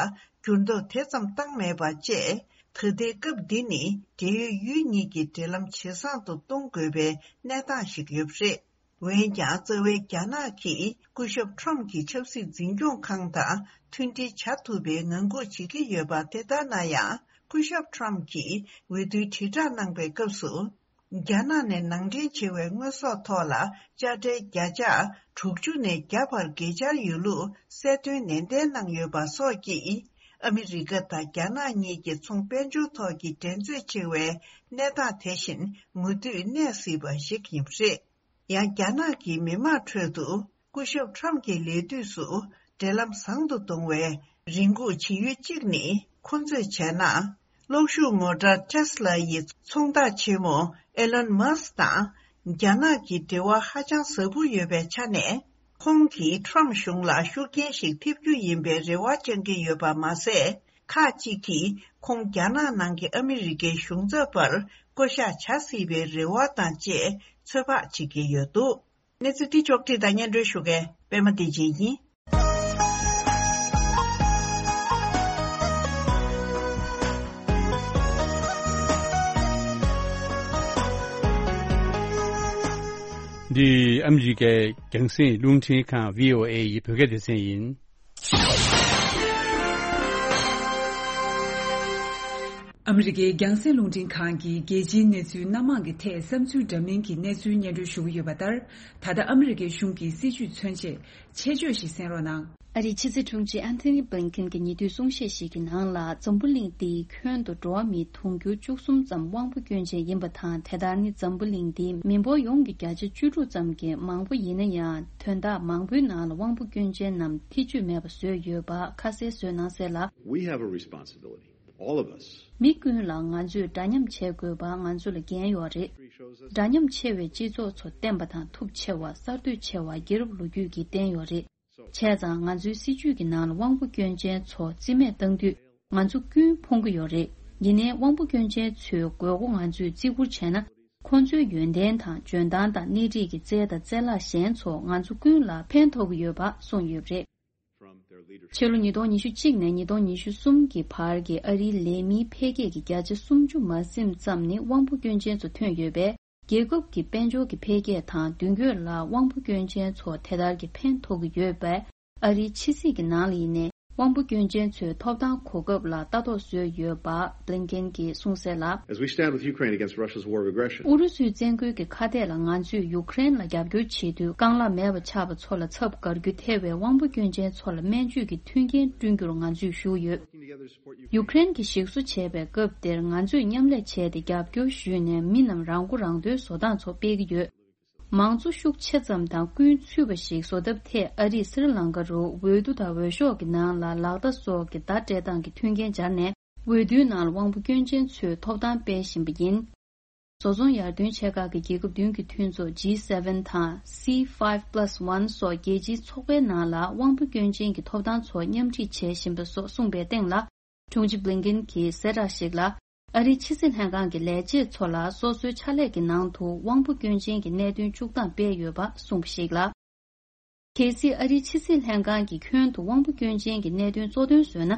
འགྱུར་ལྡོག་དེ་ཙམ་བཏང་མེད་པ་བཅས། ད་ལྟའི་སྐབས་འདི་ནི་འབྲེལ་ཡོད་ཡུལ་གཉིས་ཀྱི་འབྲེལ་ལམ་ཇེ་བཟང་དུ་གཏོང་དགོས་པའི་གནས་སྟངས་ཤིག་ཡོད་པ་རེད། འོན་ཀྱང་། རྩ་བའི་རྒྱ་ནག་གིས་སྐུ་ཞབས་ཁྲོམ་གྱི་ཆབ་སྲིད་འཛིན་སྐྱོང་ཁང་དང་མཐུན་སྒྲིལ་བྱ་ཐུབ་པའི་ངང་སྒུག་བྱེད་ཀྱི་ཡོད་པ་དེ་ལྟར་ན་ཡང་། སྐུ་ཞབས་ཁྲོམ་གྱིས་འོས་བསྡུའི་དྲིལ་བསྒྲགས་གནང་པའི་སྐབས་སུ། རྒྱ་ནག་ནས་ནང་འདྲེན་བྱེད་པའི་དངོས་ཟོག་ཐོག་ལ་དཔྱ་ཁྲལ་བརྒྱ་ཆ་དྲུག་ཅུ་ནས་བརྒྱ་བར་གྱེས་འཆར་ཡོད་ལུགས་གསལ་སྟོན་ནན་ཏན་གནང་ཡོད་པ་སོགས་ཀྱིས། ཨ་མི་རི་ཀ་དང་རྒྱ་ནག་གཉིས་ཀྱི་ཚོང་དཔལ་འབྱོར་ཐོག་གི་འགྲན་རྩོད་ཆེ་བའི་གནས་སྟངས་དེ་བཞིན་མུ་མཐུད་གནས་སྲིད་པ་ཞིག་ཡིན་པ་རེད། ཡང་། རྒྱ་ནག་གི་མི་མང་ཁྲོད་དུ་སྐུ་ཞབས་ཁྲོམ་གྱི་ལས་དུས་སུ་འབྲེལ་ལམ་བཟང་དུ་གཏོང་བའི་རེ་སྒུག་བྱེད་ཡུལ་གཅིག་ནི། ཁོང་ཚོས་བྱས་ན། གློག་ཤུགས་མོ་ཊ་ཊེ་སི་ལ་ཡི་ཚོང་བདག་ཆེན་མོ་ཨེ་ལོན་མཱ་སི་དང་རྒྱ་ནག་གི་འབྲེལ་བ་ཧ་ཅང་ཟབ་པོ་ཡོད་པའི་ཆ་ནས། ཁོང་གིས་ཁྲོམ་གཞུང་ལ་ཤུགས་རྐྱེན་ཞིག་ཐེབས་རྒྱུ་ཡིན་པའི་རེ་བ་བཅང་གི་ཡོད་པ་མ་ཟད། ཁག་ཅིག་གིས་ཁོང་རྒྱ་ནག་ནང་གི་ཨ་མི་རི་ཀའི་གཞུང་ཚབ་པར་བསྐོ་གཞག་བྱ་སྲིད་པའི་རེ་བ་དང་བཅས་ཚོད་དཔག་བྱེད་ཀྱི་ཡོད་འདུག་གནས་ཚུལ་འདི་ཕྱོགས་བསྒྲིགས་དང་སྙན་སྒྲོན་ཞུ་མཁན་པད་མ་བདེ་ཆེན་ཡིན། འདི་ཨ་མི་རི་ཀའི་རྒྱང་སྲིང་རླུང་འཕྲིན་ཁང་བྷི་ཨོ་ཨེ་ཡི་བོད་སྐད་སྡེ་ཚན་ཡིན། ཨ་མི་རི་ཀའི་རྒྱང་སྲིང་རླུང་འཕྲིན་ཁང་གིས་རྒྱལ་སྤྱིའི་གནས་ཚུལ་སྣ་མང་གི་ཐད་བསམ་ཚུལ་འདྲ་མིན་གྱི་གནས་ཚུལ་སྙན་སྒྲོན་ཞུ་གི་ཡོད་པ་ལྟར། ད་ལྟ་ཨ་མི་རི་ཀའི་གཞུང་གི་སྲིད་བྱུས་མཚོན་ཆེད་ཆེད་བརྗོད་ཞིག་གསན་རོགས་གནང་། ཨ་རིའི་ཕྱི་སྲིད་དྲུང་ཆེ་ཨན་ཐོ་ནི་བྷིན་ཁིན་གྱིས་ཉེ་དུས་གསུང་བཤད་ཞིག་གི་ནང་ལ། འཛམ་བུ་གླིང་འདིའི་ཁྱོན་དུ་འགྲོ་བ་མི་དུང་ཕྱུར་བཅུ་གསུམ་ཙམ་དབང་པོ་སྐྱོན་ཅན་ཡིན་པ་དང་། དེ་ལྟར་ནི་འཛམ་བུ་གླིང་འདིའི་མི་འབོར་ཡོངས་ཀྱི་བརྒྱ་ཆ་བཅུ་དྲུག་ཙམ་གྱིས་མང་པོ་ཡིན་ན་ཡང་། དོན་དག་མང་པོའི་ནང་ལ་དབང་པོ་སྐྱོན་ཅན་རྣམས་ཐེ་ཇུས་མེད་པ་བཟོས་ཡོད་པ་ཁ་གསལ་བཟོས་གནང་གསལ་ལ། We have a responsibility, all of us. མི་ཀུན་ལ་ང་ཚོས་འདྲ་མཉམ་བྱེད་དགོས་པ་ང་ཚོ་ལ་འགན་ཡོད་རེད། འདྲ་མཉམ་ཆེ་བའི་སྤྱི་ཚོགས་ཚོ་བརྟན་པ་དང་མཐུ་ཆེ་བ། གསར་གཏོད་ཆེ་བ་རྒྱལ་རབས་ལོ་རྒྱུས་ཀྱིས་བསྟན་ཡོད་རེད། བྱས་ཙང་ང་ཚོའི་སྲིད་བྱུས་ཀྱི་ནང་ལ་དབང་པོ་སྐྱོན་ཅན་ཚོ་རྩིས་མེད་བཏང་དུས། ང་ཚོ་ཀུན་ཕོངས་ཀྱི་ཡོད་རེད། ཡིན་ནའི་དབང་པོ་སྐྱོན་ཅན་ཚོའི་དགོས་མཁོ་ང་ཚོས་བརྩི་བཀུར་བྱས་ན། ཁོང་ཚོའི་ཡོན་ཏན་དང་འཇོན་ཐང་དང་སྣེ་ཁྲིད་ཀྱི་རྩལ་དང་རྩལ་བརླག་གཞན་ཚོ་ང་ཚོ་ཀུན་ལ་ཕན་ཐོགས་ཀྱི་ཡོད་པ་གསུངས་ཡོད་པ་རེད། ཕྱི་ལོ་ཉིས་སྟོང་ཉི་ཤུ་གཅིག་ནས་ཉིས་སྟོང་ཉི་ཤུ་གསུམ་གྱི་བར་གྱི་ཨ་རིའི་ལས་མིའི་འཕེལ་རྒྱས་ཀྱི་བརྒྱ་ཆ་སུམ་ཅུ་མ་ཟིན་ཙམ་ནི་དབང་པོ་སྐྱོན་ཅན་ཚོ་ཐོན་ཡོད་པས། རྒྱལ་ཁབ་ཀྱི་དཔལ་འབྱོར་གྱི་འཕེལ་རྒྱས་དང་མདུན་སྐྱོད་ལ་དབང་པོ་སྐྱོན་ཅན་ཚོ་དེ་ལྟར་གྱི་ཕན་ཐོགས་ཀྱི་ཡོད་པས། ཨ་རིའི་ཕྱི་སྲིད་ཀྱི་ནང་ལ་ཡིན་ནའི་ དབང་པོ་སྐྱོན་ཅན་ཚོའི་ཐོབ་ཐང་གོ་སྐབས་ལ་ལྟ་རྟོག་བཟོས་ཡོད་པ་བྷི་ལིན་ཀེན་གྱིས་གསུངས་གསལ་ལ། As we stand with Ukraine against Russia's war of aggression. ཨུ་རུ་སུའི་བཙན་རྒོལ་གྱི་ཁ་གཏད་ལ་ང་ཚོས་ཡུ་ཀེ་རེན་ལ་རྒྱབ་སྐྱོར་བྱེད་དུས་རྐང་ལག་མེད་པ་ཆགས་པ་ཚོ་ལ་ཚབ་དགར་རྒྱུ་ཐེ་བའི་དབང་པོ་སྐྱོན་ཅན་ཚོ་ལ་སྨན་བཅོས་ཀྱི་མཐུན་རྐྱེན་བསྐྲུན་རྒྱུར་ང་ཚོས་ཞུགས་ཡོད། ཡུ་ཀེ་རེན་གྱིས་ཞིག་གསོ་བྱས་པའི་སྐབས་དེར་ང་ཚོས་མཉམ་ལས་བྱས་ཏེ་རྒྱབ་སྐྱོར་ཞུས་ནས་མི་རྣམས་རང་མགོ་རང་ཐོན་བཟོ་སྟངས་ཚོ་སྤེལ་གྱི་ཡོད། མང་གཙོ་ཤུགས་ཆེ་ཙམ་དང་ཀུན་ཚུད་པ་ཞིག་བཟོ་ཐབས་ཐད་ཨ་རིས་སི་རི་ལང་ཀ་རུ་འོས་བསྡུ་དང་འོས་ཤོག་གི་ནང་ལ་ལག་བརྡ་སོགས་ཀྱི་བརྡ་སྤྲད་སྟངས་ཀྱི་མཐུན་རྐྱེན་སྦྱར་ནས་འོས་བསྡུའི་ནང་ལ་དབང་པོ་སྐྱོན་ཅན་ཚོའི་ཐོབ་ཐང་སྤེལ་བཞིན་པ་ཡིན། བཟོ་ཚོང་ཡར་ཐོན་ཆེ་ཁག་གི་རྒྱལ་ཁབ་བདུན་གྱི་མཐུན་ཚོགས་ཇི་སེ་བེན་དང་སི་ཕའི་བྷི་པ་ལ་སི་ཝན་སོགས་རྒྱལ་སྤྱིའི་ཚོགས་པའི་ནང་ལ་དབང་པོ་སྐྱོན་ཅན་གྱི་ཐོབ་ཐང་ཚོ་མཉམ་སྒྲིག་བྱེད་བཞིན་པ་སོགས་གསུངས་པའི་སྟེང་ལ། དྲུང་ཆེ་བྷི་ལིན་ཀེན་གྱིས་གསལ་བསྒྲགས་ཤིག་ལ། ཨ་རིའི་ཕྱི་སྲིད་ལྷན་ཁང་གི་ལས་བྱེད་ཚོ་ལ་སོ་སོའི་ཕྱག་ལས་ཀྱི་ནང་དུ་དབང་པོ་སྐྱོན་ཅན་གྱི་གནད་དོན་བཅུག་སྟངས་སྤེལ་ཡོད་པ་གསུངས་པ་ཞིག་ལ། གལ་སྲིད་ཨ་རིའི་ཕྱི་སྲིད་ལྷན་ཁང་གིས་ཁྱོན་དུ་དབང་པོ་སྐྱོན་ཅན་གྱི་གནད་དོན་གཙོ་དོན་བཟོས་ན།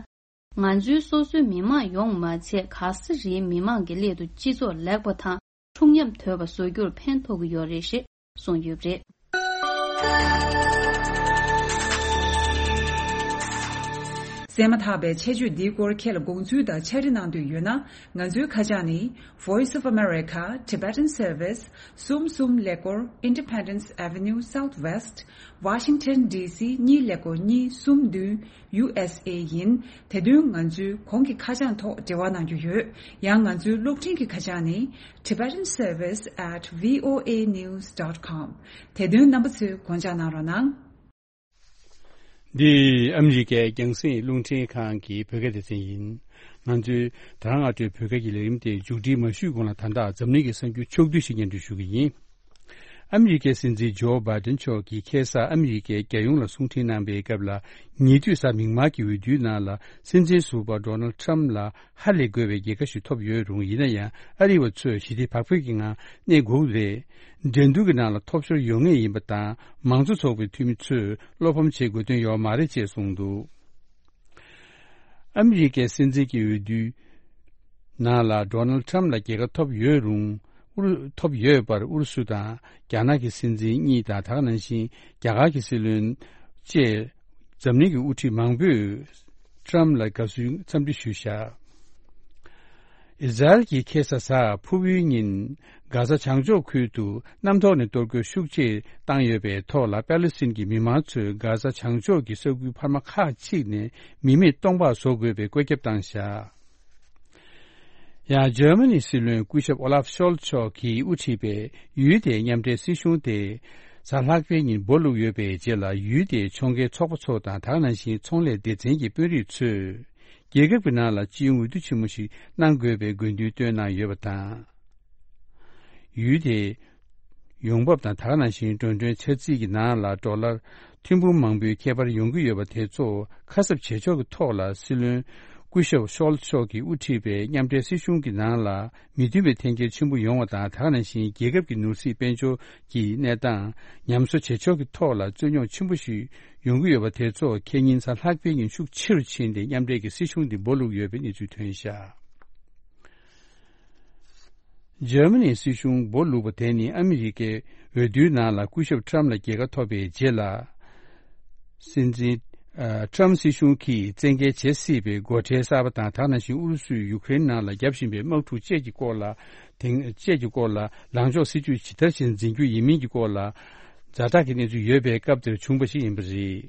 ང་ཚོའི་སོ་སོའི་མི་མང་ཡོངས་མ་ཚད་ག་ས་རེའི་མི་མང་གི་སླད་དུ་སྤྱི་ཚོགས་ལེགས་པ་དང་འཁྲུག་ཉམས་དོད་པ་བཟོ་རྒྱུར་ཕན་ཐོགས་ཀྱི་ཡོད་རེད་ཞེས་གསུངས་ཡོད་པ་རེད། གསན་མ་ཐག་པའི་ཆེད་བརྗོད་འདིའི་སྐོར་ཁྱེད་ལ་དགོངས་ཚུལ་དང་ཕྱག་བྲིས་གནང་འདོད་ཡོད་ན། ང་ཚོའི་ཁ་བྱང་ནི། Voice of America, Tibetan Service, གསུམ་གསུམ་ཀླད་ཀོར། Independence Avenue Southwest, Washington D C གཉིས་ཀླད་ཀོར་གཉིས་གསུམ་བདུན། ཡུ་ཨེས་ཨེ་ཡིན། དེ་དོན་ང་ཚོའི་གོང་གི་ཁ་བྱང་ཐོག་འབྲེལ་བ་གནང་རྒྱུ་ཡོད། ཡང་ང་ཚོའི་གློག་འཕྲིན་གྱི་ཁ་བྱང་ནི། Tibetan Service at V O A news dot com། དེ་དོན་རྣམ་པ་ཚོས་དགོངས་འཇགས་གནང་རོགས་གནང་། འདི་ཨ་མི་རི་ཀའི་རྒྱང་སྲིང་རླུང་འཕྲིན་ཁང་གི་བོད་སྐད་སྡེ་ཚན་ཡིན། ང་ཚོའི་ད་རང་ཨ་ཊུའི་བོད་སྐད་ཀྱི་ལས་རིམ་དེ་མཇུག་སྒྲིལ་མ་ཞུས་གོང་ལ། ད་ལྟ་འཛམ་གླིང་གི་གསར་འགྱུར་ཕྱོགས་བསྡུས་ཤིག་སྙན་སྒྲོན་ཞུ་གི་ཡིན། ཨ་མི་རི་ཀའི་སྲིད་འཛིན་ཇོ་བྷའི་ཏན་མཆོག་གིས་ཁ་སང་ཨ་མི་རི་ཀའི་རྒྱལ་ཡོངས་ལ་གསུང་འཕྲིན་གནང་པའི་སྐབས་ལ། ཉེ་དུས་གཟའ་མིག་དམར་གྱི་འོས་བསྡུའི་ནང་ལ་སྲིད་འཛིན་ཟུར་པ་ཌོ་ནལ་ཊམ་ལ་ཧ་ལས་དགོས་པའི་རྒྱལ་ཁ་ཞིག་ཐོབ་ཡོད་རུང་། ཡིན་ན་ཡང་ཨ་རི་བ་ཚོས་ཞི་བདེ་བག་ཕེབས་ཀྱི་ངང་གནས་དགོས་ཀྱི་རེད། འགྲན་བསྡུར་གྱི་ནང་ལ་ཐོབ་ཤོར་ཡོང་ངེས་ཡིན་པ་དང་། མང་གཙོ་ཚོགས་པའི་འཐུས་མི་ཚོས་བློ་ཕམ་བྱེད་དགོས་དོན་ཡོད་མ་རེད་ཅེས་གསུངས་འདུག་ཨ་མི་རི་ཀའི་སྲིད་འཛིན་གྱི་འོས་བསྡུའི་ནང་ལ་ཌོ་ནལ་ཊམ་ལ་རྒྱལ་ཁ་ཐོབ་ཡོད་རུང་། ཨུ་རུ་ཐོབ་ཡོད་པར་ཨུ་རུ་སུ་དང་རྒྱ་ནག་གི་སྲིད་འཛིན་གཉིས་དང་། ད་ག་ནང་བཞིན་རྒྱ་གར་གྱི་སྲིད་བློན་བཅས་འཛམ་གླིང་གི་དབུ་ཁྲིད་མང་པོས་ཊམ་ལ་དགའ་བསུའི་འཚམས་འདྲི་ཞུས་བཞག་ཨི་ཟ་རེལ་གྱིས་ཁ་སང་གཟའ་ཕུར་བུའི་ཉིན་གྷ་ཟ་བྱང་ཕྱོགས་ཁུལ་དུ་གནམ་ཐོག་ནས་གཏོར་རྒོལ་ཤུགས་ཆེ་བཏང་ཡོད་པའི་ཐོག་ལ། པེ་ལེ་སི་ཐན་གྱི་མི་མང་ཚོས་གྷ་ཟ་བྱང་ཕྱོགས་ཀྱི་ས་ཁུལ་འཕར་མ་ཁག་ཅིག་ནས་མི་མེད་སྟོང་པ་བཟོ་དགོས་པའི་བཀོད་ཁྱབ་བཏང་བཞག་ཡང་འཇར་མ་ནིའི་སྲིད་བློན་སྐུ་ཞབས་ཨོ་ལཱབ་ཤོལ་ཚ་མཆོག་གིས་དབུ་ཁྲིད་པའི་ཡུལ་དེའི་མཉམ་འབྲེལ་སྲིད་གཞུང་དེ་གཟའ་ལྷག་པའི་ཉིན་སྦོ་བླུགས་ཡོད་པའི་རྗེས་ལ། ཡུལ་དེའི་ཕྱོགས་འགལ་ཚོགས་པ་ཚོ་དང་། ད་ག་ནང་བཞིན་ཚོང་ལས་སྡེ་ཚན་གྱི་དཔོན་རིགས་ཚོས་རྒྱལ་ཁབ་ཀྱི་ནང་ལ་སྤྱི་ཡོངས་འོས་བསྡུ་ཆེན་མོ་ཞིག་གནང་དགོས་པའི་དགོས་འདུན་བཏོན་གནང་ཡོད་པ་དང་། ཡུལ་དེའི་ཡོང་འབབ་དང་། ད་ག་ནང་བཞིན་འགྲོ་གྲོན་འཆར་རྩིས་ཀྱི་ནང་ལ་ཌོ་ལར་ཐེར་འབུམ་མང་པོའི་ཁྱད་པར་ཡོང་གི་ཡོད་པ་དེ་ཚོ་ཁ་གསབ་བྱེད་ཕྱོགས་ཀྱི་ཐོག་ལ། སྲིད་བློན་སྐུ་ཞབས་ཤོལ་ཚ་མཆོག་གིས་དབུ་ཁྲིད་པའི་མཉམ་འབྲེལ་སྲིད་གཞུང་གི་ནང་ལ་མི་མཐུན་པའི་འཐེན་འཁྱེར་ཆེན་པོ་ཡོང་བ་དང་། ད་ག་ནང་བཞིན་རྒྱལ་ཁབ་ཀྱི་ནོར་སྲིད་དཔལ་འབྱོར་གྱི་གནས་སྟངས་ཉམས་གསོ་བྱེད་ཕྱོགས་ཀྱི་ཐོག་ལ་རྩོད་རྙོག་ཆེན་པོ་ཞིག་ཡོང་གི་ཡོད་པ་དེ་ཚོ་ཁེ་ཉིན་གཟའ་ལྷག་པའི་ཉིན་ཤུགས་ཆེ་རུ་ཕྱིན་ཏེ། མཉམ་འབྲེལ་གྱི་སྲིད་གཞུང་དེ་སྦོ་བླུགས་ཡོད་པའི་གནས་ཚུལ་ཐོན་བཞག་འཇར་མ་ནིའི་སྲིད་གཞུང་སྦོ་བླུགས་པ་དེ་ནི་ཨ་མི་རི་ཀའི་འོས་བསྡུའི་ནང་ལ་སྐུ་ཞབས་ཊམ་ལ་རྒྱལ་ཁ་ཐོབ་པའི་རྗེས་ལ། སྲིད་འཛིན་ཨ་ཊམ་སྲིད་གཞུང་གིས་བཙན་འགེལ་བྱེད་སྲིད་པའི་སྒོ་ཁྲལ་གསར་པ་དང་། ད་ག་ནང་བཞིན་ཨུ་རུ་སུས་ཡུ་ཀེ་རེན་ནང་ལ་བརྒྱབ་བཞིན་པའི་དམག་འཁྲུག་བཅས་ཀྱི་སྐོར་ལ། དེང་བཅས་ཀྱི་སྐོར་ལ་ལངས་ཕྱོགས་སྲིད་ཇུས་ཇི་ལྟར་ཞིག་འཛིན་རྒྱུ་ཡིན་མིན་གྱི་སྐོར་ལ་ཛ་དྲག་གི་གནས་ཚུལ་ཡོད་པའི་སྐབས་དེར་བྱུང་བ་ཞིག་ཡིན་པ་རེད།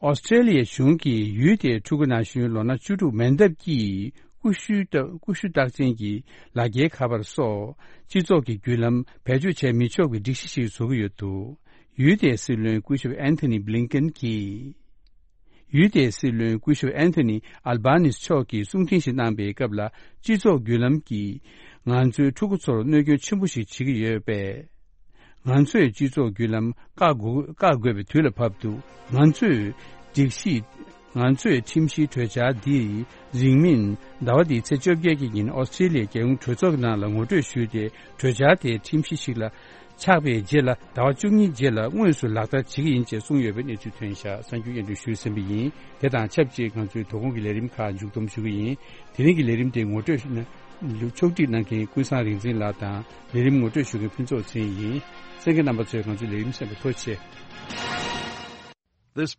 ཨོ་སི་ཀྲེ་ལི་ཡའི་གཞུང་གིས་ཡུལ་དེའི་ཕྲུ་གུ་ན་གཞོན་ལོ་ན་བཅུ་དྲུག་མན་འདབ་ཀྱིས་ཀུ་ཤུ་རྟགས་ཀུ་ཤུ་རྟགས་ཅན་གྱི་ལག་འཁྱེར་ཁ་པར་སོགས་སྤྱི་ཚོགས་ཀྱི་བརྒྱུད་ལམ་བེད་སྤྱོད་བྱས་མི་ཆོག་པའི་སྒྲིག་གཞི་ཞིག་བཟོ་གི་ཡོད་འདུག་ཡུལ་དེའི་སྲིད་བློན་སྐུ་ཞབས་ཨན་ཐོ་ནི་བྷི་ལིན་ཀེན་གྱིས། ཡུལ་དེའི་སྲིད་བློན་སྐུ་ཞབས་ཨན་ཐོ་ནི་ཨལ་བྷ་ནིས་མཆོག་གིས་གསུང་འཕྲིན་ཞིག་གནང་པའི་སྐབས་ལ། སྤྱི་ཚོགས་བརྒྱུད་ལམ་གྱིས་ང་ཚོའི་ཕྲུ་གུ་ཚོར་གནོད་སྐྱོན་ཆེན་པོ་ཞིག་བྱེད་ཀྱི་ཡོད་པས། ང་ཚོས་སྤྱི་ཚོགས་བརྒྱུད་ལམ་བཀག་དགོས་བཀག་དགོས་པའི་དུས་ལ་བབ་འདུག་ང་ཚོས་སྒྲིག་གཞི། ང་ཚོས་ཁྲིམས་གཞིའི་གྲོས་འཆར་འདི་རིང་མིན་ཟླ་བ་འདིའི་ཚེས་བཅོ་བརྒྱད་ཀྱི་ཉིན་ཨོ་སི་ཀྲེ་ལི་ཡའི་རྒྱལ་ཡོངས་གྲོས་ཚོགས་ཀྱི་ནང་ལ་ངོ་སྤྲོད་ཞུས་ཏེ། གྲོས་འཆར་དེ་ཁྲིམས་གཞི་ཞིག་ལ་ཆགས་པའི་རྗེས་ལ། ཟླ་བ་བཅུ་གཉིས་རྗེས་ལ་དངོས་སུ་ལག་བསྟར་བྱེད་ཀྱི་ཡིན་ཅེས་གསུངས་ཡོད་པའི་གནས་ཚུལ་ཐོན་བཞག་གསར་འགྱུར་སྙན་སྒྲོན་ཞུས་ཟིན་པ་ཡིན། དེ་དང་ཆབས་ཅིག་ང་ཚོའི་དོ་དགོང་གི་ལས་རིམ་ཁག་མཇུག་བསྡོམས་ཞུ་གི་ཡིན། དེ་རིང་གི་ལས་རིམ་དེ་ངོ་སྤྲོད་ཞུ་ན། ཕྱོགས་སྒྲིག་གནང་མཁན་ཀུན་བཟང་རིག་འཛིན་ལགས་དང་། ལས་རིམ་ངོ་སྤྲོད་ཞུ་མཁན་ཕུན་ཚོགས་ཚེ་རིང་ཡིན། གསན་མཁན་རྣམ་པ་ཚོས་ང་ཚོའི་ལས་རིམ་གསན་པར་ཐུགས་རྗེ་ཆེ། This